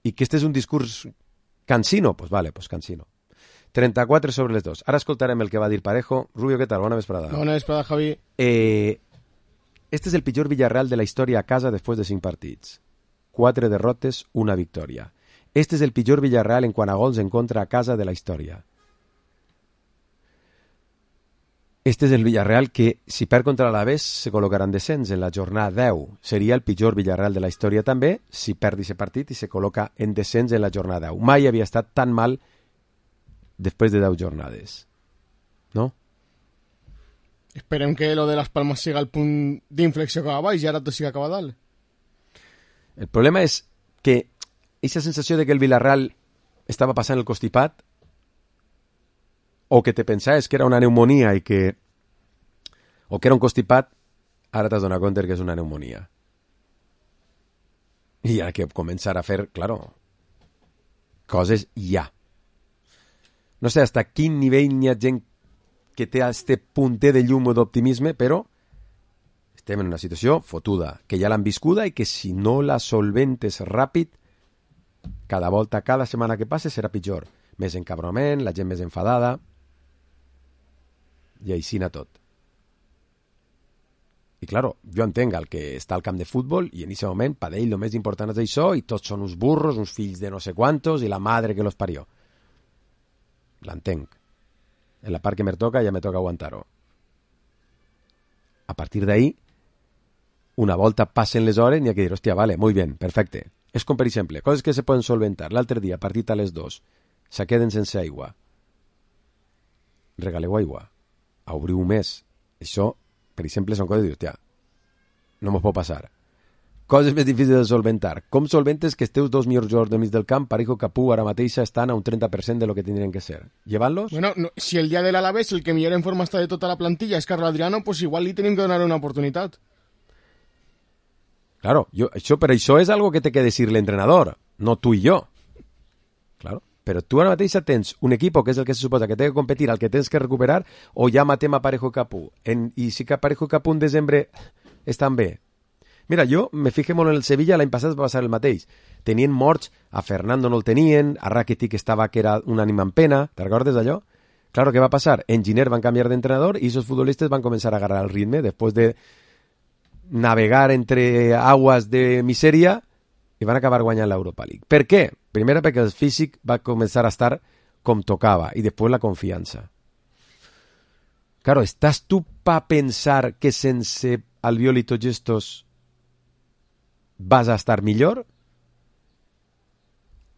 I que este és un discurs cansino? Pues vale, pues cansino. trenta-quatre sobre les dos. Ara escoltarem el que va dir Parejo. Rubio, què tal? Bona vesprada. Bona vesprada, Javi. Eh, este és el pitjor Villarreal de la història a casa després de cinc partits. Quatre derrotes, una victòria. Este és el pitjor Villarreal en quant a gols en contra a casa de la història. Este és el Villarreal que, si perd contra l'Alavés, se col·locarà en descens en la jornada deu. Seria el pitjor Villarreal de la història també, si perd aquest partit i se col·loca en descens en la jornada deu. Mai havia estat tan mal després de deu jornades. No? Esperem que lo de Las Palmas siga el punt d'inflexió que va baix i ara tot siga cap a dalt. El problema és que aquesta sensació de que el Villarreal estava passant el constipat o que te pensaves que era una pneumonia i que o que era un constipat, ara t'has donat compte que és una pneumonia. I hi ha que començar a fer, claro, coses ja. No sé hasta quin nivell hi ha gent que té este punter de llum o d'optimisme, però estem en una situació fotuda, que ja l'han viscuda i que si no la solventes ràpid, cada volta, cada setmana que passe serà pitjor. Més encabronament, la gent més enfadada, i així anar tot. I claro, jo entenc el que està al camp de futbol i en aquest moment per ell el més important és això i tots són uns burros, uns fills de no sé quantos i la madre que los parió. L'entenc. En la part que me toca ja me toca aguantar-ho. A partir d'ahí, una volta passen les hores n'hi ha que dir, hòstia, vale, muy bien, perfecte. És com, per exemple, coses que se poden solventar. L'altre dia, partit a les dos, se queden sense aigua. Regaleu aigua. Obriu més. Això, per exemple, són coses que dius, hòstia, no m'ho pot passar. Coses més difícils de solventar. Com solventes que els teus dos millors jugadors del mig del camp, Parejo i Capú, ara mateix estan a un trenta per cent de lo que tindrien que ser? Llevant-los? Bueno, no, si el dia de l'Alavés el que millor en forma està de tota la plantilla és Carlos Adriano, pues igual li tenim que donar una oportunitat. Claro, yo, això, però això és algo que té que decir l'entrenador, no tu i jo. Claro. Però tu ara mateix tens un equip que és el que se suposa que té que competir, al que tens que recuperar, o ja matem a Parejo i Capú. En, I si que Parejo i Capú en desembre estan bé. Mira, jo me fijé molt en el Sevilla, l'any passat va passar el mateix. Tenien morts, a Fernando no el tenien, a Rakitic estava que era un ànima en pena, te recordes d'allò? Claro, què va passar? En Giner van canviar d'entrenador i esos futbolistes van començar a agarrar el ritme després de navegar entre aguas de misèria i van acabar guanyant l'Europa League. Per què? Primera, perquè el físic va començar a estar com tocava i després la confiança. Claro, ¿estás tú pa pensar que sense Albiol i tots estos vas a estar millor?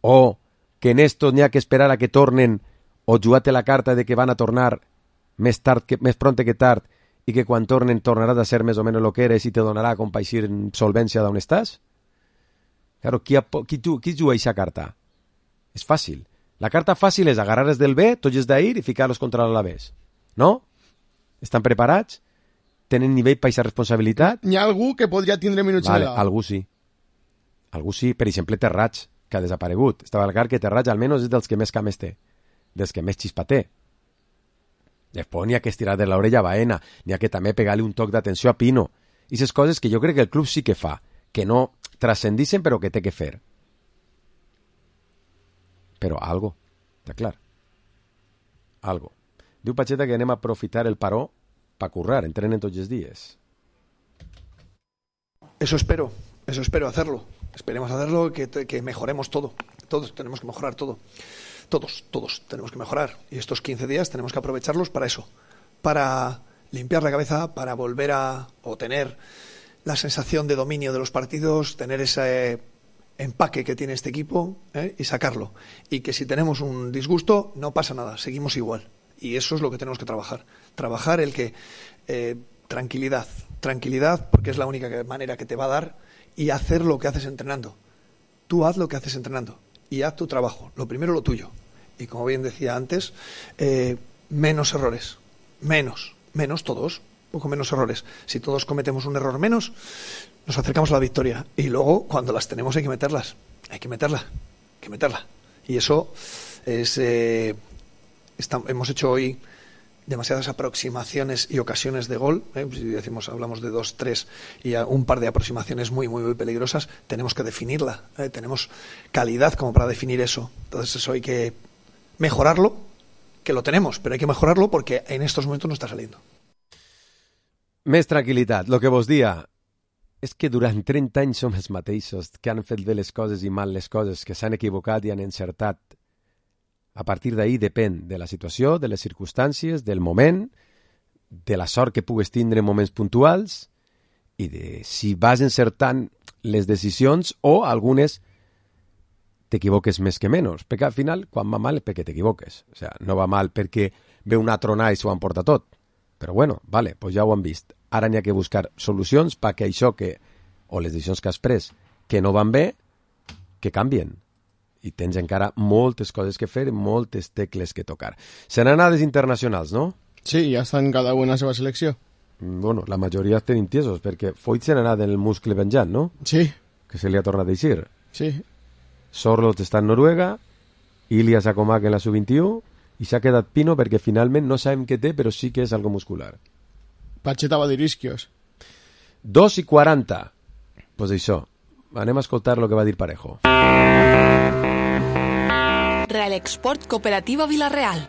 O que en estos n'hi ha que esperar a que tornen o jugar-te la carta de que van a tornar més tard que, més pronte que tard i que quan tornen tornaràs a ser més o menys el que eres i te donarà a compaixir solvència d'on estàs? Claro, qui, qui, qui juga aquesta carta? És fàcil. La carta fàcil és agarrar-les del B, tots els d'ahir, i ficar-los contra l'Alavés. No? Estan preparats? Tenen nivell per aquesta responsabilitat? Hi ha algú que podria tindre minuts vale, de la... algú sí. Algú sí. Per exemple, Terrats, que ha desaparegut. Estava al car que Terrats almenys és dels que més cames té, dels que més xispa té. Després n'hi ha que estirar de l'orella a Baena, n'hi ha que també pegar-li un toc d'atenció a Pino. I aquestes coses que jo crec que el club sí que fa, que no trascendixen però que té que fer. Però algo, està clar. Algo. Diu Pacheta que anem a aprofitar el paró para currar, entrenen tots els dies. Eso espero, eso espero hacerlo. Esperemos hacerlo, que, que mejoremos todo. Todos tenemos que mejorar todo. Todos, todos tenemos que mejorar. Y estos quince días tenemos que aprovecharlos para eso. Para limpiar la cabeza, para volver a o tener la sensación de dominio de los partidos, tener ese empaque que tiene este equipo, ¿eh? Y sacarlo. Y que si tenemos un disgusto, no pasa nada, seguimos igual. Y eso es lo que tenemos que trabajar. Trabajar el que... Eh, tranquilidad, tranquilidad, porque es la única manera que te va a dar, y hacer lo que haces entrenando. Tú haz lo que haces entrenando y haz tu trabajo. Lo primero, lo tuyo. Y como bien decía antes, eh, menos errores. Menos. Menos todos. Poco menos errores. Si todos cometemos un error menos, nos acercamos a la victoria. Y luego, cuando las tenemos, hay que meterlas. Hay que meterla. Hay que meterla. Y eso es... Eh, está, hemos hecho hoy demasiadas aproximaciones y ocasiones de gol, ¿eh? Si decimos, hablamos de dos, tres y un par de aproximaciones muy, muy, muy peligrosas, tenemos que definirla, ¿eh? Tenemos calidad como para definir eso. Entonces eso hay que mejorarlo, que lo tenemos, pero hay que mejorarlo porque en estos momentos no está saliendo. Més tranquil·litat. Lo que vos dia és que durant trenta anys som els mateixos que han fet bé les coses i mal les coses, que s'han equivocat i han encertat. A partir d'ahir depèn de la situació, de les circumstàncies, del moment, de la sort que pugues tindre en moments puntuals i de si vas encertant les decisions o algunes t'equivoques més que menys. Perquè al final, quan va mal és perquè t'equivoques. O sigui, no va mal perquè ve una tronada i s'ho emporta tot. Però bueno, vale, pues ja ho han vist. Ara n'hi ha que buscar solucions perquè això que, o les decisions que has pres que no van bé, que canvien. I tens encara moltes coses que fer i moltes tecles que tocar. Seran anades internacionals, no? Sí, ja estan cada una a la seva selecció. Bueno, la majoria estan intiesos, perquè Foyt se n'ha anat en el muscle penjant, no? Sí. Que se li ha tornat a eixir. Sí. Sorloth està en Noruega, Ilya Sakomak en la sub vint-i-u, i s'ha quedat Pino perquè finalment no sabem què té, però sí que és algo muscular. Pacheta va dir isquios. dos i quaranta. Pues això, anem a escoltar el que va dir Parejo. Real Export Cooperativa Villarreal.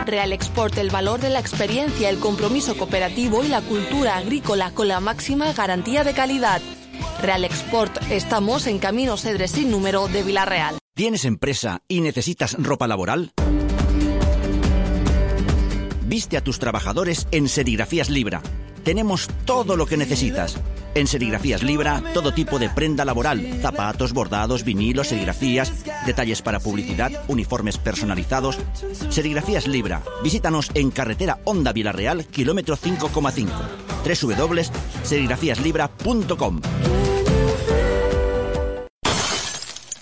Real Export, el valor de la experiencia, el compromiso cooperativo y la cultura agrícola con la máxima garantía de calidad. Real Export, estamos en Camino Cedres sin número de Villarreal. ¿Tienes empresa y necesitas ropa laboral? Viste a tus trabajadores en Serigrafías Libra. Tenemos todo lo que necesitas. En Serigrafías Libra, todo tipo de prenda laboral, zapatos, bordados, vinilos, serigrafías, detalles para publicidad, uniformes personalizados. Serigrafías Libra. Visítanos en carretera Honda Villarreal, kilómetro cinco coma cinco. doble u doble u doble u punto serigrafías libra punto com.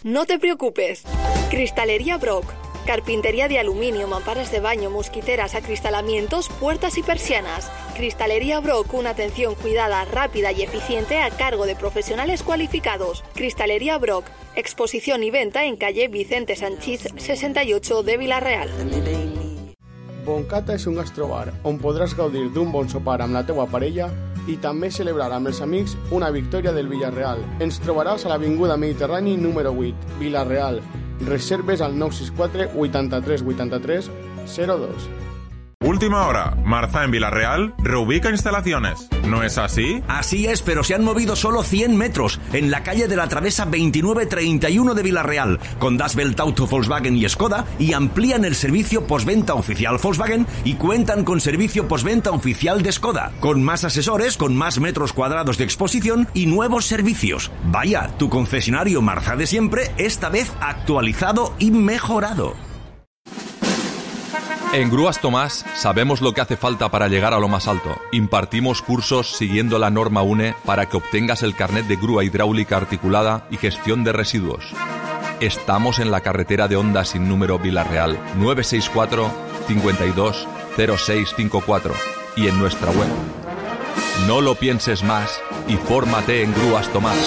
No te preocupes. Cristalería Brock. Carpintería de aluminio, mamparas de baño, mosquiteras, acristalamientos, puertas y persianas. Cristalería Brock, una atención cuidada, rápida y eficiente a cargo de profesionales cualificados. Cristalería Brock, exposición y venta en calle Vicente Sanchís sesenta y ocho de Vila-real. Boncata és un gastrobar on podràs gaudir d'un bon sopar amb la teua parella i també celebrar amb els amics una victòria del Villarreal. Ens trobaràs a l'Avinguda Mediterrani número vuit, Vila-real. Reserves al nou sis quatre vuitanta-tres vuitanta-tres cero dos. Última hora. Marza en Vila-real reubica instalaciones. ¿No es así? Así es, pero se han movido solo cien metros en la calle de la Travesa veintinueve treinta y uno de Vila-real, con Das Welt Auto, Volkswagen y Skoda, y amplían el servicio postventa oficial Volkswagen y cuentan con servicio postventa oficial de Skoda, con más asesores, con más metros cuadrados de exposición y nuevos servicios. Vaya, tu concesionario Marza de siempre, esta vez actualizado y mejorado. En Grúas Tomás sabemos lo que hace falta para llegar a lo más alto. Impartimos cursos siguiendo la norma U N E para que obtengas el carnet de grúa hidráulica articulada y gestión de residuos. Estamos en la carretera de Honda sin número Vila-real nueve seis cuatro, cinco dos, cero seis cinco cuatro y en nuestra web. No lo pienses más y fórmate en Grúas Tomás.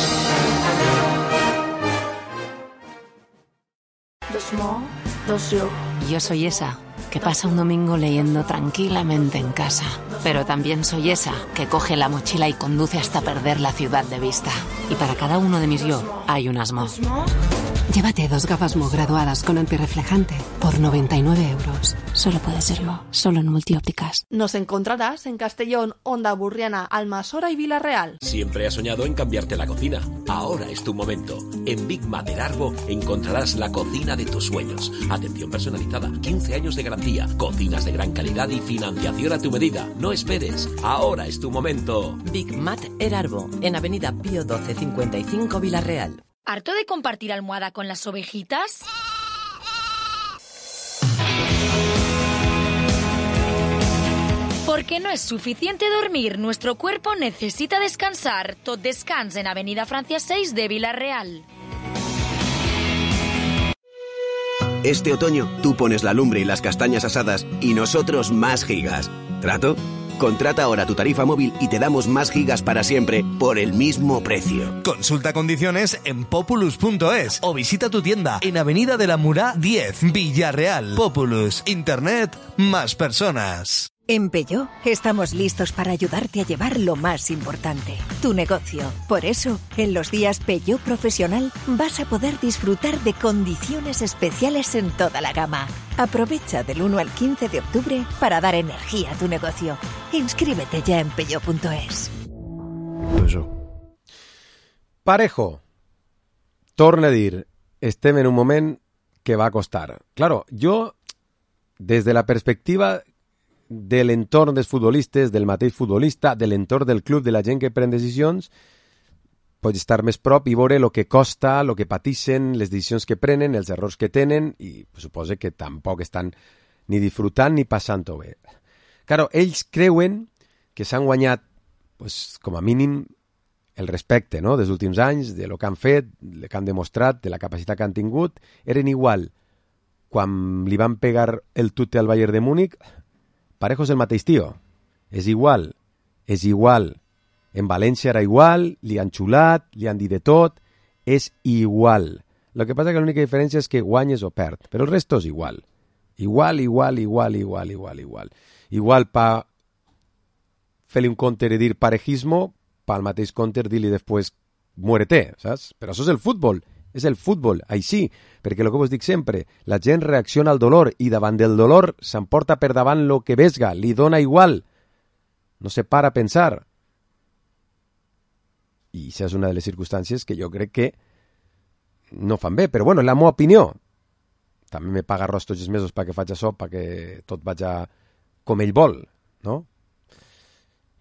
Yo soy esa que pasa un domingo leyendo tranquilamente en casa. Pero también soy esa que coge la mochila y conduce hasta perder la ciudad de vista. Y para cada uno de mis yo hay un Asmo. Llévate dos gafas Mo graduadas con antirreflejante por noventa y nueve euros. Solo puede ser Mo, solo en Multiópticas. Nos encontrarás en Castellón, Onda Burriana, Almasora y Vila-real. Siempre has soñado en cambiarte la cocina. Ahora es tu momento. En Big Mat del Arbo encontrarás la cocina de tus sueños. Atención personalizada, quince años de garantía, cocinas de gran calidad y financiación a tu medida. No esperes. Ahora es tu momento. Big Mat El Arbo, en Avenida Pío doce cincuenta y cinco Vila-real. ¿Harto de compartir almohada con las ovejitas? Porque no es suficiente dormir, nuestro cuerpo necesita descansar. Tot Descans en Avenida Francia seis de Vila-real. Este otoño tú pones la lumbre y las castañas asadas y nosotros más gigas. ¿Trato? Contrata ahora tu tarifa móvil y te damos más gigas para siempre por el mismo precio. Consulta condiciones en populus punto es o visita tu tienda en Avenida de la Murá diez, Villarreal. Populus, Internet, más personas. En Peugeot estamos listos para ayudarte a llevar lo más importante, tu negocio. Por eso, en los días Peugeot Profesional vas a poder disfrutar de condiciones especiales en toda la gama. Aprovecha del uno al quince de octubre para dar energía a tu negocio. Inscríbete ya en peugeot punto es. Parejo, torna a dir, estem en un moment que va a costar. Claro, jo, des de la perspectiva de l'entorn dels futbolistes, del mateix futbolista, de l'entorn del club, de la gent que pren decisions, pots estar més prop i veure el que costa, el que pateixen, les decisions que prenen, els errors que tenen, i suposo que tampoc estan ni disfrutant ni passant-ho bé. Claro, ells creuen que s'han guanyat, pues, com a mínim, el respecte, no?, dels últims anys, de lo que han fet, el que han demostrat, de la capacitat que han tingut. Eren igual quan li van pegar el tute al Bayern de Múnich. Parejo és el mateix tio, és igual, és igual. En València era igual, li han xulat, li han dit de tot, és igual. El que passa que l'única diferència és que guanyes o perd, però el resto és igual. Igual, igual, igual, igual, igual, igual. Igual pa fer-li un counter i dir parejismo, pa al mateix counter dir-li després muérete, saps? Però això és el futbol. És el futbol, així, perquè el que vos dic sempre, la gent reacciona al dolor i davant del dolor s'emporta per davant lo que vesga, li dona igual, no se para a pensar. I això és una de les circumstàncies que jo crec que no fan bé, però bueno, és la meva opinió. També me paga arròs tots els mesos perquè faig això, perquè tot vaig com ell vol, no?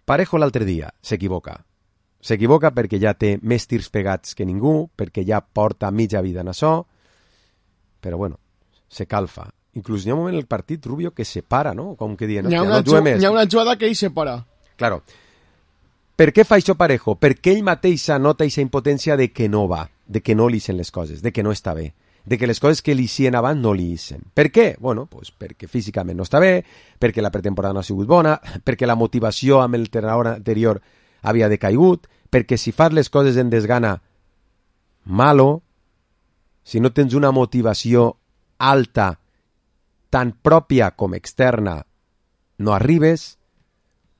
Parejo l'altre dia s'equivoca. S'equivoca perquè ja té més tirs pegats que ningú, perquè ja porta mitja vida en això, però bueno, se calfa. Inclús hi ha un moment en el partit, Rubio, que se para, no? Com que dient, hi ha no juga més. Hi ha una jugada que ell se para. Claro. Per què fa això Parejo? Perquè ell mateix nota aquesta impotència de que no va, de que no li sent les coses, de que no està bé. de que les coses que li hicien abans no li hicen. Per què? Bueno, pues perquè físicament no està bé, perquè la pretemporada no ha sigut bona, perquè la motivació amb el entrenador anterior havia decaigut, perquè si fas les coses en desgana, malo, si no tens una motivació alta, tant pròpia com externa, no arribes,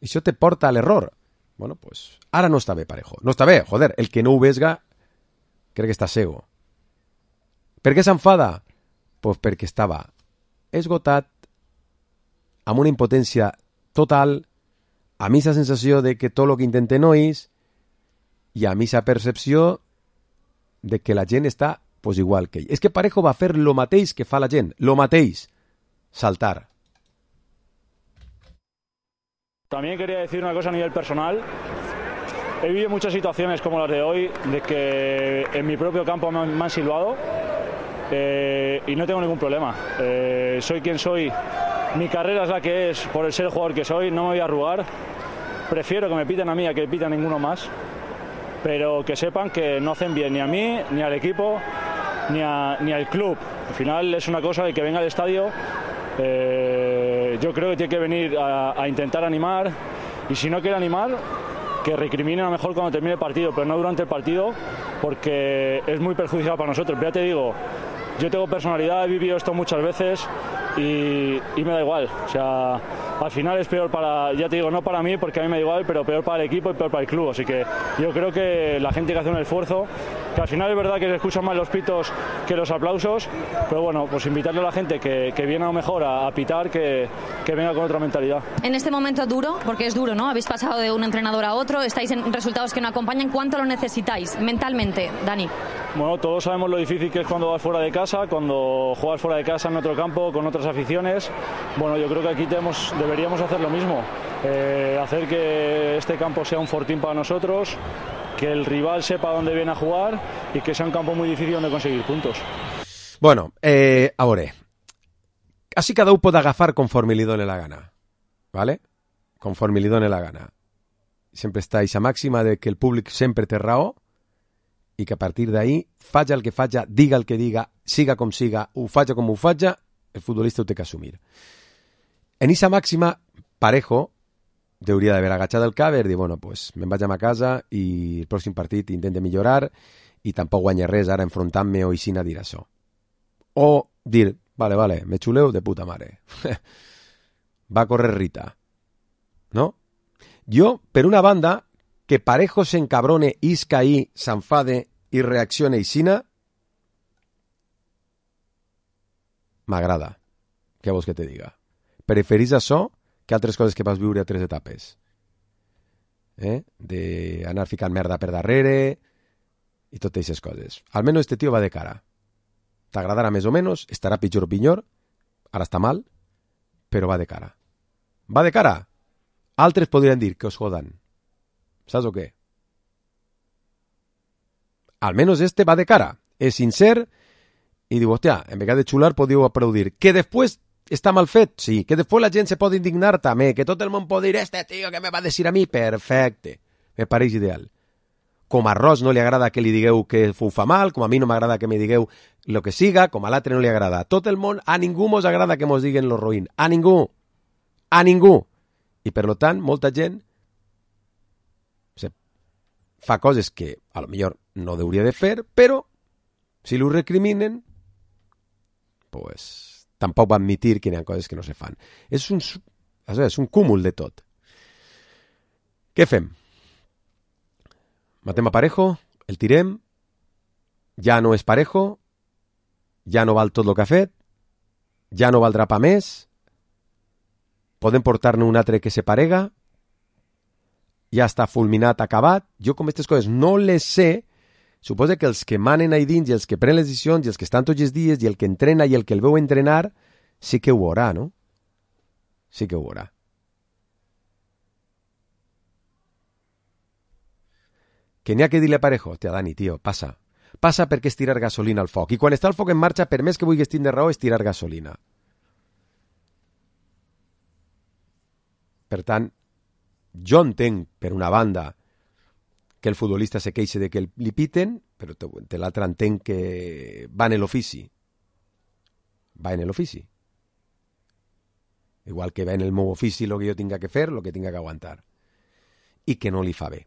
això te porta a l'error. Bueno, pues ara no està bé, Parejo. No està bé, joder, el que no ho vesga crec que està cego. Per què s'enfada? Pues perquè estava esgotat, amb una impotència total, a mi la sensació de que tot el que intente no és, i a mi la percepció de que la gent està pues, igual que ell. És que Parejo va fer lo mateix que fa la gent, lo mateix, saltar. También quería decir una cosa a nivel personal. He vivido muchas situaciones como las de hoy, de que en mi propio campo me han, me han silbado eh, y no tengo ningún problema. Eh, soy quien soy, mi carrera es la que es por el ser el jugador que soy, no me voy a arrugar. Prefiero que me piten a mí a que piten a ninguno más, pero que sepan que no hacen bien ni a mí, ni al equipo, ni, a, ni al club. Al final es una cosa de que venga al estadio. Eh, yo creo que tiene que venir a, a intentar animar, y si no quiere animar, que recriminen a lo mejor cuando termine el partido, pero no durante el partido, porque es muy perjudicial para nosotros. Pero ya te digo, yo tengo personalidad, he vivido esto muchas veces y, y me da igual. O sea, al final es peor para, ya te digo, no para mí, porque a mí me da igual, pero peor para el equipo y peor para el club. Así que yo creo que la gente que hace un esfuerzo, que al final es verdad que se escuchan más los pitos que los aplausos, pero bueno, pues invitarle a la gente que, que viene a lo mejor a, a pitar, que, que venga con otra mentalidad. En este momento duro, porque es duro, ¿no? Habéis pasado de un entrenador a otro, estáis en resultados que no acompañan. ¿Cuánto lo necesitáis mentalmente, Dani? Bueno, todos sabemos lo difícil que es cuando vas fuera de casa, cuando juegas fuera de casa en otro campo, con otras aficiones. Bueno, yo creo que aquí tenemos, deberíamos hacer lo mismo, eh, hacer que este campo sea un fortín para nosotros, que el rival sepa dónde viene a jugar y que sea un campo muy difícil donde conseguir puntos. Bueno, eh, a veure, així cada un pot agafar conforme li doni la gana, ¿vale? Conforme li doni la gana. Sempre està aquesta màxima de que el públic sempre té raó i que a partir d'ahí, faja el que faja, diga el que diga, siga com siga, ho faja com ho faja, el futbolista ho té que assumir. En aquesta màxima, Parejo hauria d'haver agachat el cap i dir, bueno, pues me'n vaig a ma casa i el pròxim partit intente millorar i tampoc guanya res ara enfrontant-me o així a dir això. O dir, vale, vale, me xuleu de puta mare. Va a correr Rita. ¿No? Jo, per una banda, que Parejo s'encabrone, isca ahí, s'enfade i reaccione aixina, m'agrada. Què vols que te diga? Preferís això que altres coses que vas viure a tres etapes. Eh? D'anar ficant merda per darrere i totes aquestes coses. Almenys este tio va de cara. T'agradarà més o menys, estarà pitjor o pitjor, ara està mal, però va de cara. Va de cara. Altres podrien dir que os jodan. Saps o què? Almenys este va de cara. És sincer i diu, hòstia, en vegada de xular podíeu aplaudir. Que després està mal fet, sí. Que després la gent se pot indignar també. Que tot el món pot dir, este tio que me va dir a mi, perfecte. Me pareix ideal. Com a Ross no li agrada que li digueu que ho fa mal, com a mi no m'agrada que me digueu lo que siga, com a l'altre no li agrada. Tot el món, a ningú mos agrada que mos diguen lo roïn. A ningú. A ningú. I per lo tant, molta gent fa coses que a lo millor no hauria de fer, però si lo recriminen, pues tampoc va admitir que hi ha coses que no se fan. És un, és un cúmul de tot. Què fem? Matem a Parejo, el tirem, ja no és Parejo, ja no val tot el que ha fet, ja no valdrà pa més, podem portar-ne un altre que se parega, ja està fulminat, acabat. Jo com aquestes coses no les sé, suposo que els que manen ahí dins i els que prenen les decisions i els que estan tots els dies i el que entrena i el que el veu entrenar, sí que ho veurà, no? Sí que ho veurà. Que n'hi ha que dir-li a Parejo, hòstia, Dani, tio, passa. Passa perquè és tirar gasolina al foc. I quan està el foc en marxa, per més que vulguis tindre raó, és tirar gasolina. Per tant, jo entenc, per una banda, que el futbolista se queixa de que li piten, però de l'altre entenc que va en l'ofici va en l'ofici. Igual que va en el meu ofici el que jo tinga que fer, el que tinga que aguantar. I que no li fa bé.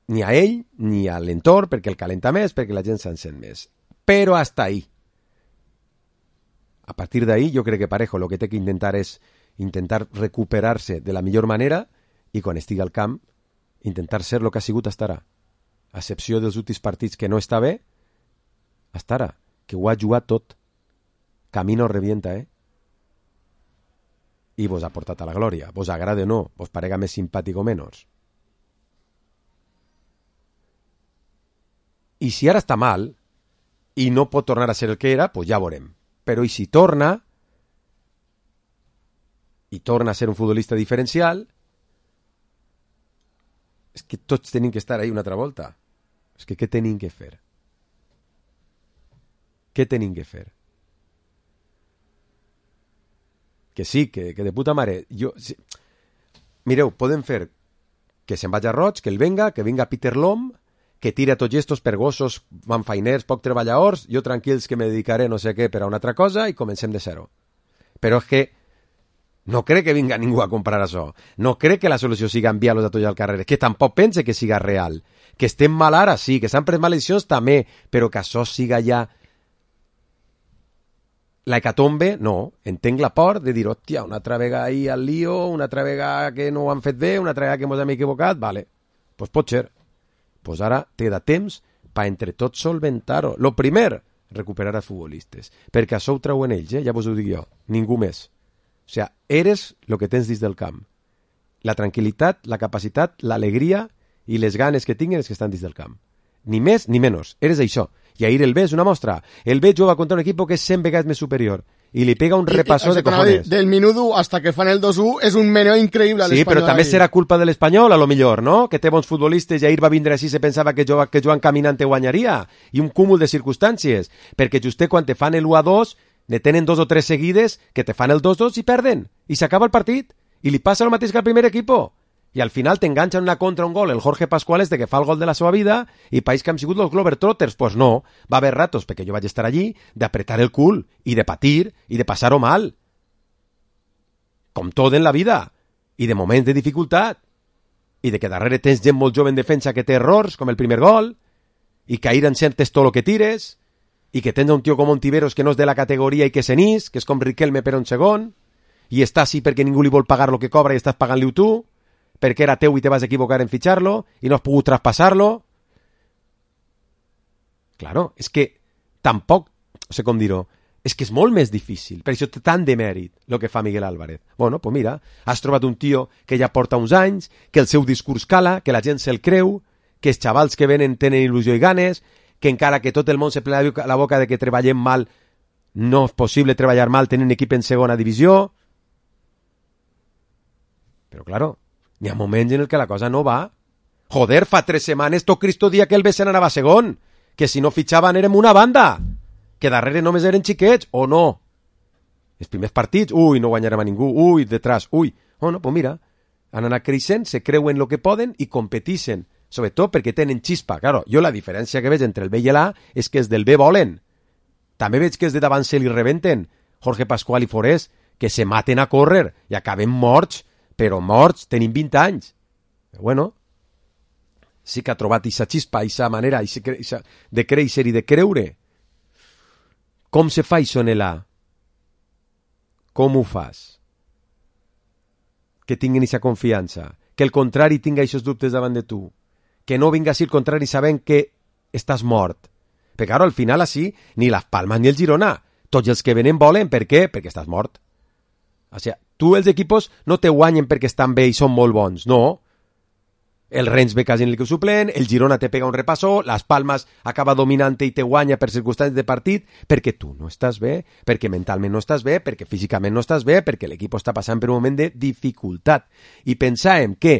Ni a ell, ni a l'entorn, perquè el calenta més, perquè la gent se'n sent més. Però hasta ahí. A partir d'ahí, jo crec que Parejo el que té que intentar és intentar recuperar-se de la millor manera i quan estigui al camp, intentar ser el que ha sigut hasta ara. A excepció dels últims partits que no està bé, hasta ara, que ho ha jugat tot. Camino revienta, eh? I vos ha portat a la glòria. Vos agrada o no, vos parega més simpàtic o menys. I si ara està mal i no pot tornar a ser el que era, pues ja veurem. Però i si torna i torna a ser un futbolista diferencial, és que tots tenim que estar ahí una altra volta. És que què tenim que fer? Què tenim que fer? Que sí, que, que de puta mare. Jo, sí. Mireu, podem fer que se'n vagi a Roig, que el venga, que vinga Peter Lom, que tira tots estos per gossos, manfainers, poc treballadors, jo tranquils que me dedicaré no sé què per a una altra cosa i comencem de zero. Però és que no crec que vinga ningú a comprar això. No crec que la solució siga enviar-los a tots al carrer. Que tampoc pense que siga real. Que estem mal ara, sí, que s'han pres mal decisions també, però que això siga ja la hecatombe, no. Entenc la por de dir, hòstia, una altra vegada ahí al lío, una altra vegada que no ho han fet bé, una altra vegada que ens hem equivocat, vale, doncs pues pot ser. Pues ara té de temps per entre tots solventar-ho. Lo primer, recuperar els futbolistes. Perquè això ho treuen ells, eh? Ja vos ho dic jo. Ningú més. O sigui, eres el que tens dins del camp. La tranquil·litat, la capacitat, l'alegria i les ganes que tinguin els que estan dins del camp. Ni més ni menys. Eres això. I ahir el B és una mostra. El B juga contra un equip que és cent vegades més superior. I li pega un repassó de cojones. Del minuto hasta que fan el dos u és un meneo increïble a l'Espanyol. Sí, però també serà culpa de l'Espanyol, a lo millor, no? Que té bons futbolistes i ahir va vindre així se pensava que, jo, que Joan Caminant te guanyaria. I un cúmul de circumstàncies. Perquè just quan te fan el u a dos, ne tenen dos o tres seguides que te fan el dos dos i perden. I s'acaba el partit. I li passa el mateix que al primer equipo. I al final t'enganxen una contra un gol el Jorge Pascual este que fa el gol de la seva vida i país que han sigut els Globetrotters. Pues no, va haver ratos, perquè jo vaig estar allí, d'apretar el cul i de patir i de passar-ho mal. Com tot en la vida. I de moments de dificultat. I de que darrere tens gent molt jove en defensa que té errors, com el primer gol, i que ahir encertes tot el que tires, i que tens un tio com Ontiveros que no és de la categoria i que s'enís, que és com Riquelme per un segon, i està així perquè ningú li vol pagar el que cobra i estàs pagant-li tu, perquè era teu i te vas equivocar en fitxar-lo i no has pogut traspassar-lo. Claro, és que tampoc, no sé com dir-ho, és que és molt més difícil, per això té tant de mèrit el que fa Miguel Álvarez. Bueno, pues mira, has trobat un tio que ja porta uns anys, que el seu discurs cala, que la gent se'l creu, que els xavals que venen tenen il·lusió i ganes, que encara que tot el món se plena la boca de que treballem mal, no és possible treballar mal tenint un equip en segona divisió. Però, claro, hi ha moments en el que la cosa no va. Joder, fa tres setmanes tot Cristo dia que el B se n'anava a segon, que si no fitxaven érem una banda, que darrere només eren xiquets, o no. Els primers partits, ui, no guanyarem a ningú, ui, detrás, ui. Bueno, pues mira, han anat creixent, se creuen el que poden i competixen, sobretot perquè tenen xispa. Claro, jo la diferència que veig entre el B i l'A és que els del B volen. També veig que els de davant se li rebenten, Jorge Pascual i Forés, que se maten a córrer i acaben morts, però morts, tenim vint anys. Però bueno, sí que ha trobat aquesta xispa, aquesta manera de créixer i de creure. Com se fa això en l'A? Com ho fas? Que tinguin aquesta confiança, que el contrari tinga aquests dubtes davant de tu, que no vinga així el contrari sabent que estàs mort. Perquè ara al final així, ni les Palmes ni el Girona, tots els que venen volen, per què? Perquè estàs mort. O sigui, tu els equipos no te guanyen perquè estan bé i són molt bons, no. El Rennes ve quasi en l'equip suplent, el Girona te pega un repassó, les Palmes acaba dominant i te guanya per circumstàncies de partit, perquè tu no estàs bé, perquè mentalment no estàs bé, perquè físicament no estàs bé, perquè l'equip està passant per un moment de dificultat. I pensàvem que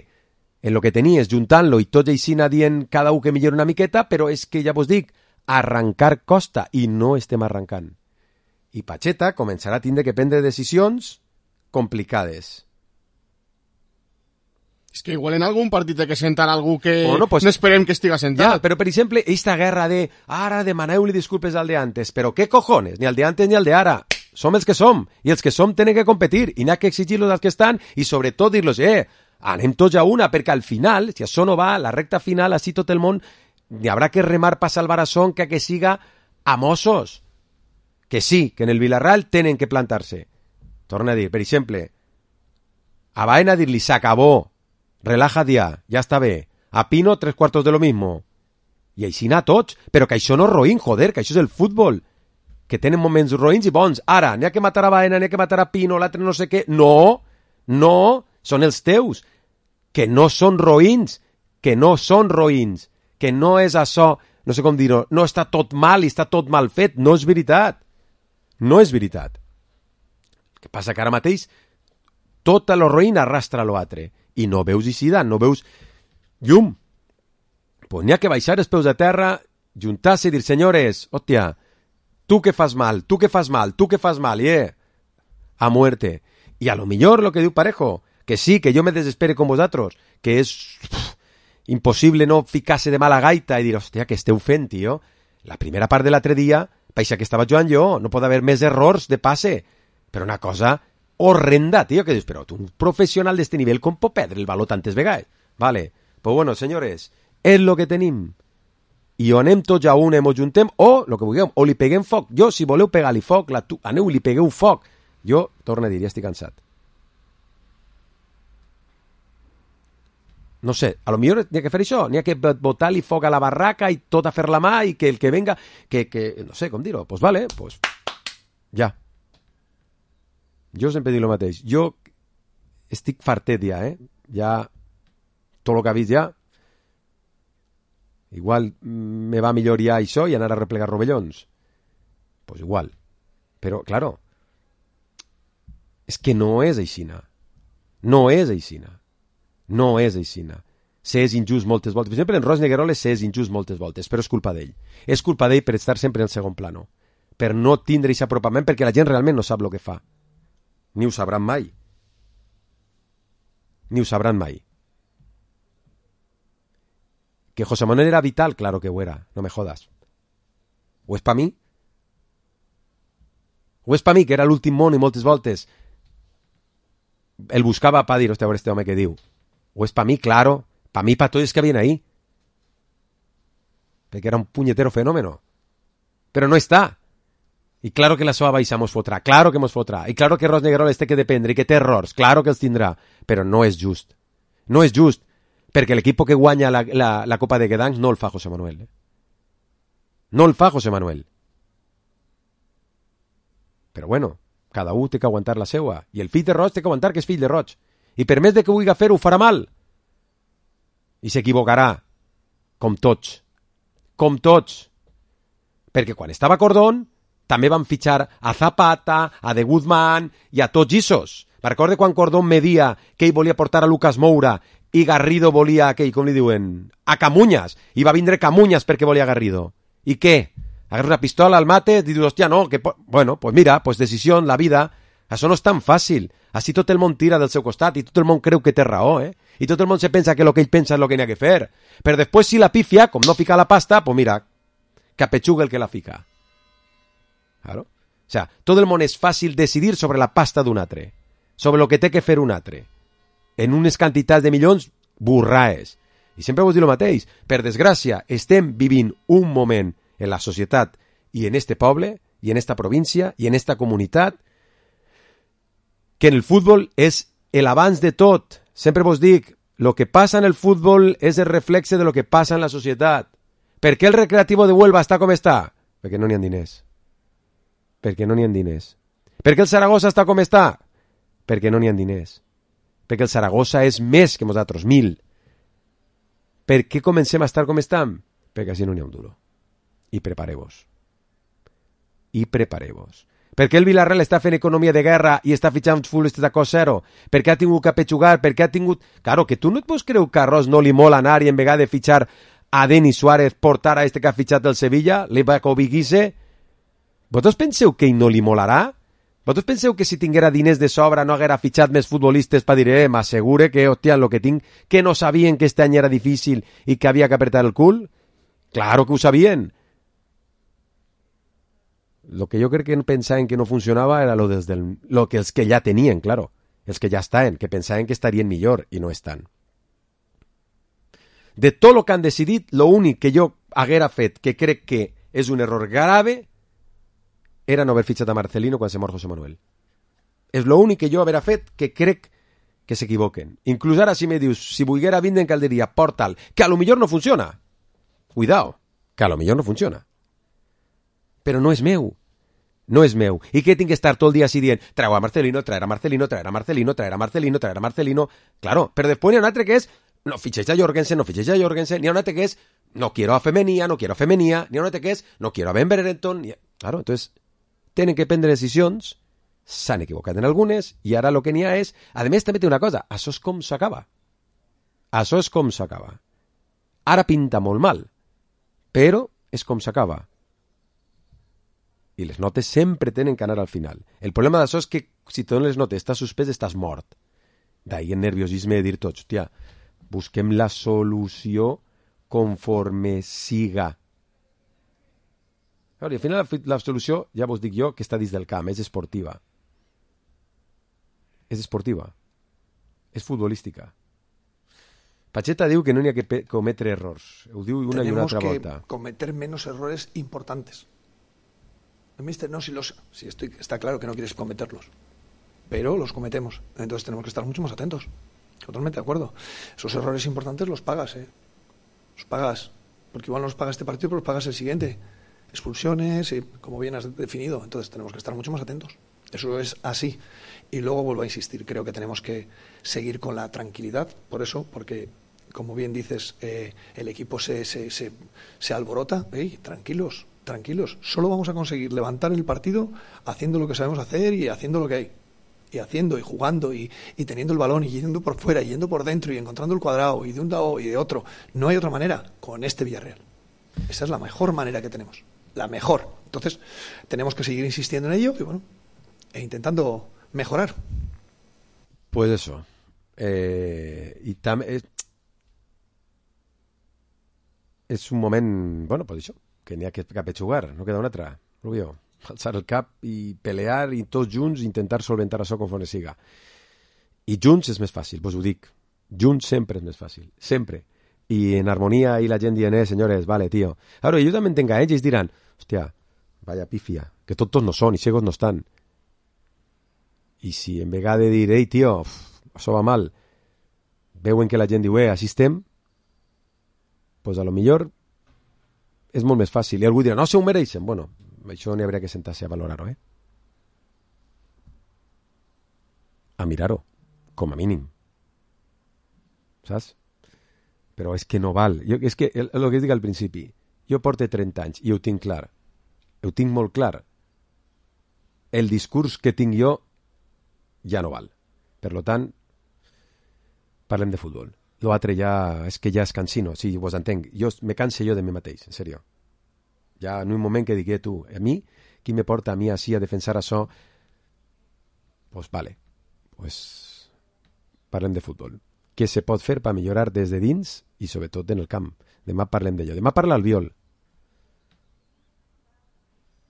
en el que tenies, juntant-lo i tots així dient cada un que millora una miqueta, però és que ja vos dic, arrencar costa i no estem arrencant. I Pacheta començarà a tindre que prendre decisions complicades. És que igual en algun partit té que sentar algú que Bueno, pues- no esperem que estiga sentat. Ja, però per exemple, esta guerra de ara demaneu-li disculpes al de antes, però què cojones? Ni al de antes ni al de ara. Som els que som, i els que som tenen que competir, i n'hi ha que exigir-los als que estan, i sobretot dir-los, eh, anem tots a una, perquè al final, si això no va, la recta final, així tot el món, hi haurà que remar per salvar a son que que siga a Mossos. Que sí, que en el Villarreal tenen que plantar-se. Torna a dir, per exemple, a Baena dir-li, s'acabó, relaja dia, ja està bé. A Pino, tres cuartos de lo mismo. I així anar tots, però que això no és roïn, joder, que això és el futbol. Que tenen moments roïns i bons. Ara, n'hi ha que matar a Baena, n'hi ha que matar a Pino, l'altre no sé què. No, no, són els teus. Que no són roïns, que no són roïns, que no és això, no sé com dir-ho, no està tot mal i està tot mal fet. No és veritat. No és veritat. El que passa que ara mateix tota lo roïn arrastra l'altre. I no veus eixida, no veus llum. Pues n'hi ha que baixar els peus a terra, juntar-se i dir, senyores, hòstia, tu que fas mal, tu que fas mal, tu que fas mal, i eh, a muerte. I a lo millor lo que diu Parejo, que sí, que jo me desespere com vosaltres, que és uf, impossible no ficar-se de mala gaita i dir, hòstia, què esteu fent, tio? La primera part de l'altre dia, paixa que estava jugant jo, no pot haver més errors de passe, però una cosa horrenda, tio, que dius, però tu, un professional d'este nivell, com pot perdre el valor tantes vegades? Vale, pues bueno, senyores, és lo que tenim. I o anem tots a una i mos juntem, o, lo que vulgueu, o li peguem foc. Jo, si voleu pegar-li foc, la tu, aneu i li pegueu foc. Jo, torno a dir, ja estic cansat. No sé, a lo millor n'hi ha que fer això, n'hi ha que botar-li foc a la barraca i tot a fer la mà i que el que venga, que, que no sé com dir-ho, pues vale, pues ja. Jo sempre dic el mateix, jo estic fartet ja, eh? Ja, tot el que ha vist ja, igual me va millor ja això i anar a replegar rovellons. Pues igual. Però, claro, és que no és aixina. No és aixina. No és aixina. S'és injust moltes voltes. Per exemple, en Ros Negueroles s'és injust moltes voltes, però és culpa d'ell. És culpa d'ell per estar sempre en segon plano. Per no tindre aquest apropament, perquè la gent realment no sap el que fa. Ni ho sabran mai. Ni ho sabran mai. Que José Manuel era vital, claro que ho era, no me jodas. O és pa mi? O és pa mi, que era l'últim món i moltes voltes el buscava pa dir, hòstia, a veure este home que diu. O és pa mi, claro, pa mi, pa tots els que havien ahí. Perquè era un puñetero fenómeno. Però no està. I claro que la seva baixa mos fotrà, claro que mos fotrà. I claro que Ros Negueroles té que dependre i que té errors, claro que els tindrà. Però no és just. No és just. Perquè l'equip que guanya la, la, la Copa de Gdansk no el fa José Manuel. Eh? No el fa José Manuel. Però bueno, cada un té que aguantar la seua. I el fill de Roig té que aguantar que és fill de Roig. I per més de que vulgui fer-ho, ho farà mal. I s'equivocarà. Com tots. Com tots. Perquè quan estava Cordón, també van fitxar a Zapata, a De Guzmán i a tots issos. Me recordo quan Cordón media que ell volia portar a Lucas Moura i Garrido volia aquell, com li diuen, a Camuñas, i va vindre Camuñas perquè volia Garrido. I què? Agarra una pistola al mate i dius, hòstia, no, que... Bueno, pues mira, pues decisió, la vida, això no és tan fàcil. Així tot el món tira del seu costat i tot el món creu que té raó, eh? I tot el món se pensa que el que ell pensa és el que n'hi ha que fer. Però després, si la pifia, com no fica la pasta, pues mira, que apechuga el que la fica. Claro. O sea, tot el món és fàcil decidir sobre la pasta d'un altre, sobre el que té que fer un altre. En unes quantitats de milions burraes. I sempre vos dic el mateix. Per desgràcia, estem vivint un moment en la societat i en este poble, i en esta província, i en esta comunitat, que en el futbol és el abans de tot. Sempre vos dic, lo que passa en el futbol és el reflexe de lo que passa en la societat. Per què el Recreativo de Huelva està com està? Perquè no n'hi ha diners. Perquè no n'hi ha diners. Per què el Saragossa està com està? Perquè no n'hi ha diners. Perquè el Saragossa és més que nosaltres, mil. Per què comencem a estar com estem? Perquè així no n'hi ha un duro. I prepareu-vos. I prepareu-vos. Per què el Villarreal està fent economia de guerra i està fitxant futbolistes a cost zero? Per què ha tingut que apechugar? Per què ha tingut... Claro, que tu no et pots creure que a Ros no li mola anar i en vegada de fitxar a Denis Suárez portar a este que ha fitxat del Sevilla, l'Evaco Biguise? Vosaltres penseu que ell no li molarà? Vosaltres penseu que si tinguera diners de sobra no haguera fitxat més futbolistes per dir, eh, m'assegure que, hòstia, lo que tinc, que no sabien que este any era difícil i que havia que apretar el cul? Claro que ho sabien. Lo que jo crec que pensaven que no funcionava era lo, des del, lo que els que ja tenien, claro. Els que ja estaven, que pensaven que estarien millor i no estan. De tot el que han decidit, lo únic que jo haguera fet, que crec que és un error grave, era no haver fitxat a Marcelino quan se mor José Manuel. És lo únic que jo haguera fet que crec que s'equivoquen. Inclús ara si me dius, si volguera vindre en Calderia, portal, que a lo millor no funciona. Cuidao, que a lo millor no funciona. Però no és meu. No és meu. I què tinc que estar tot el dia així dient, treu a Marcelino, traer a Marcelino, traer a Marcelino, traer a Marcelino, traer a Marcelino... Claro, però després n'hi ha un altre que és, no fitxeix a Jorgensen, no fitxeix a Jorgensen, n'hi ha un altre que és, no quiero a Femenía, no quiero a Femenía, n'hi ha un altre que és, no quiero a Ben Brereton... Ha... Claro, entonces, tenen que prendre decisions, s'han equivocat en algunes, i ara el que n'hi ha és... A més, també té una cosa, això és com s'acaba. Això és com s'acaba. Ara pinta molt mal, però és com s'acaba. I les notes sempre tenen que anar al final. El problema d'això és que si te dones les notes, estàs suspès, estàs mort. D'ahir el nerviosisme de dir tots, hòstia, busquem la solució conforme siga. I al final la, la solució, ja vos dic jo, que està dins del camp, és esportiva. És esportiva. És futbolística. Pacheta diu que no n'hi ha que cometre errors. Ho diu una i una altra volta. Tenemos que cometer menos errores importantes. Mister, no, si los, si estoy, está claro que no quieres cometerlos, pero los cometemos. Entonces tenemos que estar mucho más atentos. Totalmente de acuerdo. Esos errores importantes los pagas, ¿eh? Los pagas. Porque igual no los pagas este partido, pero los pagas el siguiente. Expulsiones, y como bien has definido. Entonces tenemos que estar mucho más atentos. Eso es así. Y luego vuelvo a insistir, creo que tenemos que seguir con la tranquilidad. Por eso, porque, como bien dices, eh, el equipo se, se, se, se alborota. ¡Ey, tranquilos! Tranquilos, solo vamos a conseguir levantar el partido haciendo lo que sabemos hacer y haciendo lo que hay. Y haciendo y jugando y, y teniendo el balón y yendo por fuera y yendo por dentro y encontrando el cuadrado y de un lado y de otro. No hay otra manera con este Villarreal. Esa es la mejor manera que tenemos. La mejor. Entonces, tenemos que seguir insistiendo en ello y bueno, e intentando mejorar. Pues eso. Eh, y también es, es un moment, bueno, pues això, que n'hi ha que capetxugar, no queda una altra, Rubio. Alçar el cap i pelear i tots junts intentar solventar això conforme siga. I junts és més fàcil, vos ho dic. Junts sempre és més fàcil, sempre. I en harmonia i la gent dient, eh, senyores, vale, tio. Ara, jo també entenc a ells, ells diran, hòstia, vaya pífia, que tots no són i ciegos no estan. I si en vegada de dir, ei, tio, uf, això va mal, veuen que la gent diu, eh, així estem, pues a lo millor és molt més fàcil. I algú dirà, no se ho mereixen. Bueno, això n'hi hauria que sentar-se a valorar-ho, eh? A mirar-ho, com a mínim. Saps? Però és que no val. Jo, és que el, el que dic al principi, jo porto trenta anys i ho tinc clar. Ho tinc molt clar. El discurs que tinc jo ja no val. Per lo tant, parlem de futbol. L'altre ja, és que ja és cansino, sí, vos entenc. Jo me canse jo de mi mateix, en sèrio. Ja en un moment que digui tu, a mi, qui me porta a mi així a defensar això? Pues vale, pues parlem de futbol. Què se pot fer per millorar des de dins i sobretot en el camp? Demà parlem d'allò. Demà parla el Viol,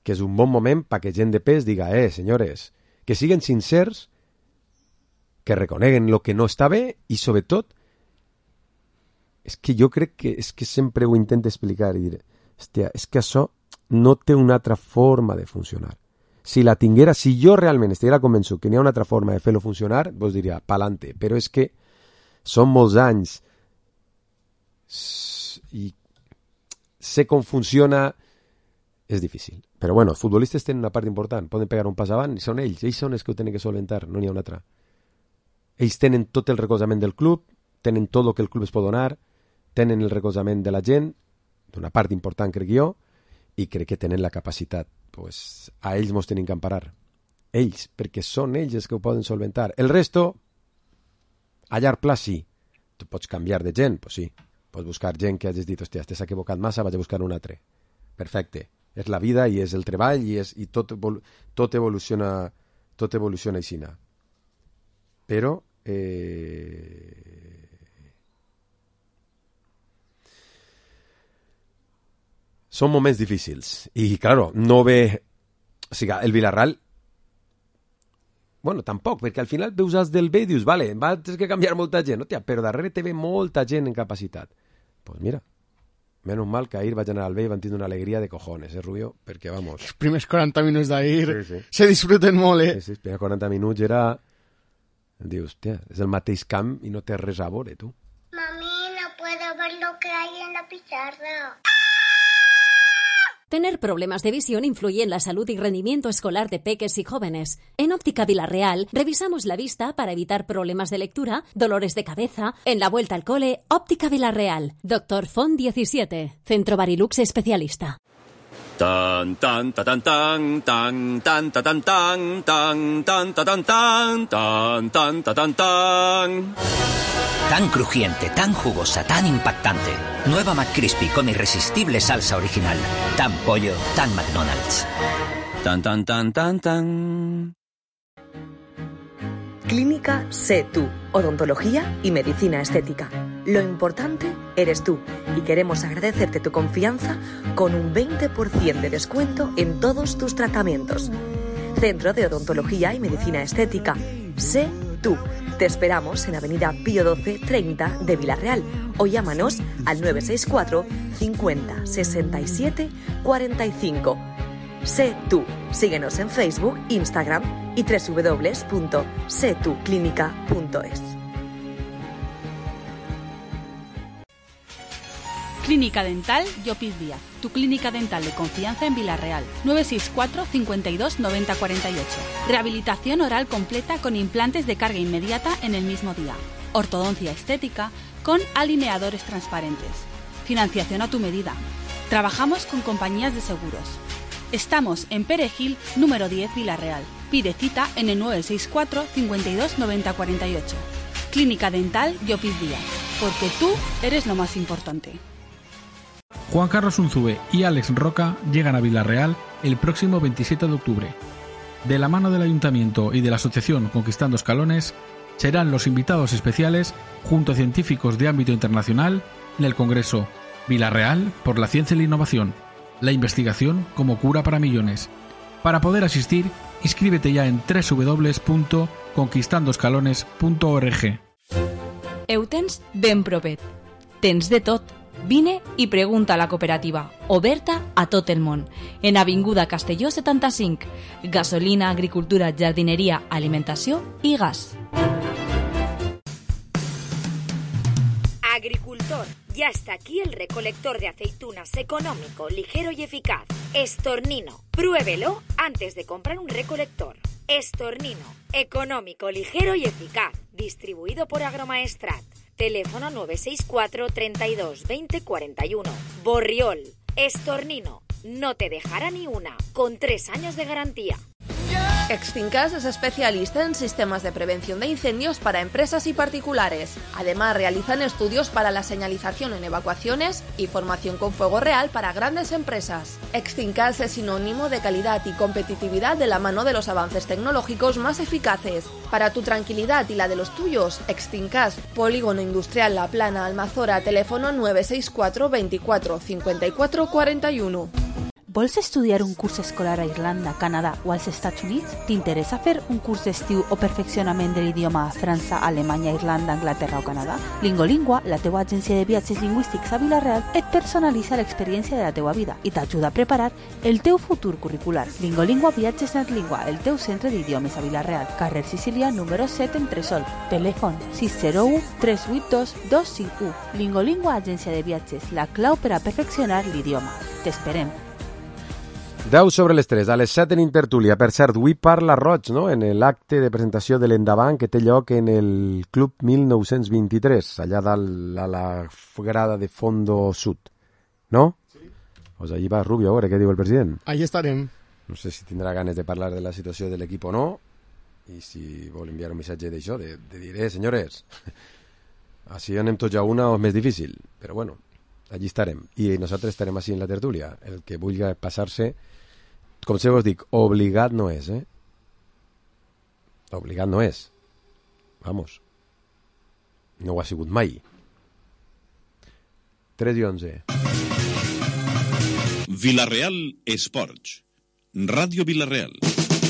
que és un bon moment perquè gent de pes diga, eh, senyores, que siguen sincers, que reconeguen el que no està bé i sobretot és que jo crec que és que sempre ho intento explicar i dir, hòstia, és que això no té una altra forma de funcionar. Si la tinguera, si jo realment estiguera convençut que n'hi ha una altra forma de fer-lo funcionar, vos diria, pa'lante, però és que són molts anys i sé com funciona, és difícil. Però bueno, els futbolistes tenen una part important, poden pegar un pas avant i són ells, ells són els que ho tenen que solventar, no n'hi ha una altra. Ells tenen tot el recolzament del club, tenen tot el que el club es pot donar, tenen el recolzament de la gent, d'una part important crec jo, i crec que tenen la capacitat. Pues, a ells mos tenim que emparar. Ells, perquè són ells els que ho poden solventar. El resto, a llarg pla sí. Tu pots canviar de gent, pues sí. Pots buscar gent que hagis dit, hòstia, t'has equivocat massa, vaig a buscar un altre. Perfecte. És la vida i és el treball i, és, i tot, tot evoluciona tot evoluciona aixina. Però eh... són moments difícils i, claro, no ve... O sigui, el Villarreal... Bueno, tampoc, perquè al final veus els del B i dius, vale, va, tens que canviar molta gent, hòstia, però darrere te ve molta gent en capacitat. Doncs pues mira, menos mal que ahir vaig anar al B i van tindre una alegria de cojones, eh, Rubio? Perquè, vamos... Els primers quaranta minuts d'ahir sí, sí. se disfruten molt, eh? Sí, sí, els primers quaranta minuts era... Dius, hòstia, és el mateix camp i no té res a veure, tu. Mami, no puedo ver lo que hay en la pizarra. Tener problemas de visión influye en la salud y rendimiento escolar de peques y jóvenes. En Óptica Villarreal revisamos la vista para evitar problemas de lectura, dolores de cabeza. En la vuelta al cole, Óptica Villarreal. Doctor Font diecisiete. Centro Barilux especialista. Tan tan tan tan tan tan tan tan tan tan tan tan tan tan tan tan. Tan crujiente, tan jugosa, tan impactante. Nueva McCrispy con irresistible salsa original. Tan pollo, tan McDonald's. Tan tan tan tan tan. Clínica Sé Tú, odontología y medicina estética. Lo importante eres tú y queremos agradecerte tu confianza con un veinte por ciento de descuento en todos tus tratamientos. Centro de Odontología y Medicina Estética. Sé Tú. Te esperamos en Avenida Pío doce treinta de Villarreal o llámanos al nueve seis cuatro cincuenta sesenta y siete cuarenta y cinco. Sé Tú. Síguenos en Facebook, Instagram y doble u doble u doble u punto sé tú clínica punto es. Clínica Dental Llopis Díaz, tu clínica dental de confianza en Villarreal. nueve seis cuatro cincuenta y dos noventa cuarenta y ocho. Rehabilitación oral completa con implantes de carga inmediata en el mismo día. Ortodoncia estética con alineadores transparentes. Financiación a tu medida. Trabajamos con compañías de seguros. Estamos en Perejil, número diez, Villarreal. Pide cita en el nueve seis cuatro cincuenta y dos noventa cuarenta y ocho. Clínica Dental Llopis Díaz, porque tú eres lo más importante. Juan Carlos Unzúe y Alex Roca llegan a Villarreal el próximo veintisiete de octubre. De la mano del Ayuntamiento y de la Asociación Conquistando Escalones, serán los invitados especiales junto a científicos de ámbito internacional en el Congreso Villarreal por la Ciencia y la Innovación, la investigación como cura para millones. Para poder asistir, inscríbete ya en doble u doble u doble u punto conquistando escalones punto org. Ho tens ben propet. Tens de tot. Vine i pregunta a la cooperativa, oberta a tot el món. En Avinguda Castelló setanta-cinc. Gasolina, agricultura, jardineria, alimentació i gas. Agricultor, ya está aquí el recolector de aceitunas económico, ligero y eficaz. Estornino, pruébelo antes de comprar un recolector. Estornino, económico, ligero y eficaz. Distribuido por Agromaestrat. Teléfono nueve seis cuatro treinta y dos veinte cuarenta y uno. Borriol, Estornino, no te dejará ni una, con tres años de garantía. Extincas es especialista en sistemas de prevención de incendios para empresas y particulares. Además, realizan estudios para la señalización en evacuaciones y formación con fuego real para grandes empresas. Extincas es sinónimo de calidad y competitividad de la mano de los avances tecnológicos más eficaces. Para tu tranquilidad y la de los tuyos, Extincas, Polígono Industrial La Plana, Almazora, teléfono nueve seis cuatro veinticuatro cincuenta y cuatro cuarenta y uno. Vols estudiar un curs escolar a Irlanda, Canadà o als Estats Units? T'interessa fer un curs d'estiu o perfeccionament de l'idioma a França, Alemanya, Irlanda, Anglaterra o Canadà? Lingolingua, la teua agència de viatges lingüístics a Vila-real, et personalitza l'experiència de la teua vida i t'ajuda a preparar el teu futur curricular. Lingolingua Viatges Netlingua, el teu centre d'idiomes a Vila-real, carrer Sicília, número set, Entresol. Telèfon sis zero u tres vuit dos dos cinc u. Lingolingua Agència de Viatges, la clau per a perfeccionar l'idioma. T'esperem. deu sobre les tres, a les set en Intertúlia. Per cert, avui parla Roig, no?, en l'acte de presentació de l'Endavant que té lloc en el Club mil nou-cents vint-i-tres, allà dalt a la grada de Fondo Sud, no? Sí. Pues allí va Rubio, a veure què diu el president. Allí estarem. No sé si tindrà ganes de parlar de la situació de l'equip o no, i si vol enviar un missatge d'això, de, de dir, eh, senyores, així anem tots a una o és més difícil, però bueno, allí estarem. I nosaltres estarem així en la tertúlia. El que vulgui passar-se, com se vos dic, obligat no és, eh? Obligat no és. Vamos. No ho ha sigut mai. tres i onze. Vilareal Esports. Ràdio Vilareal.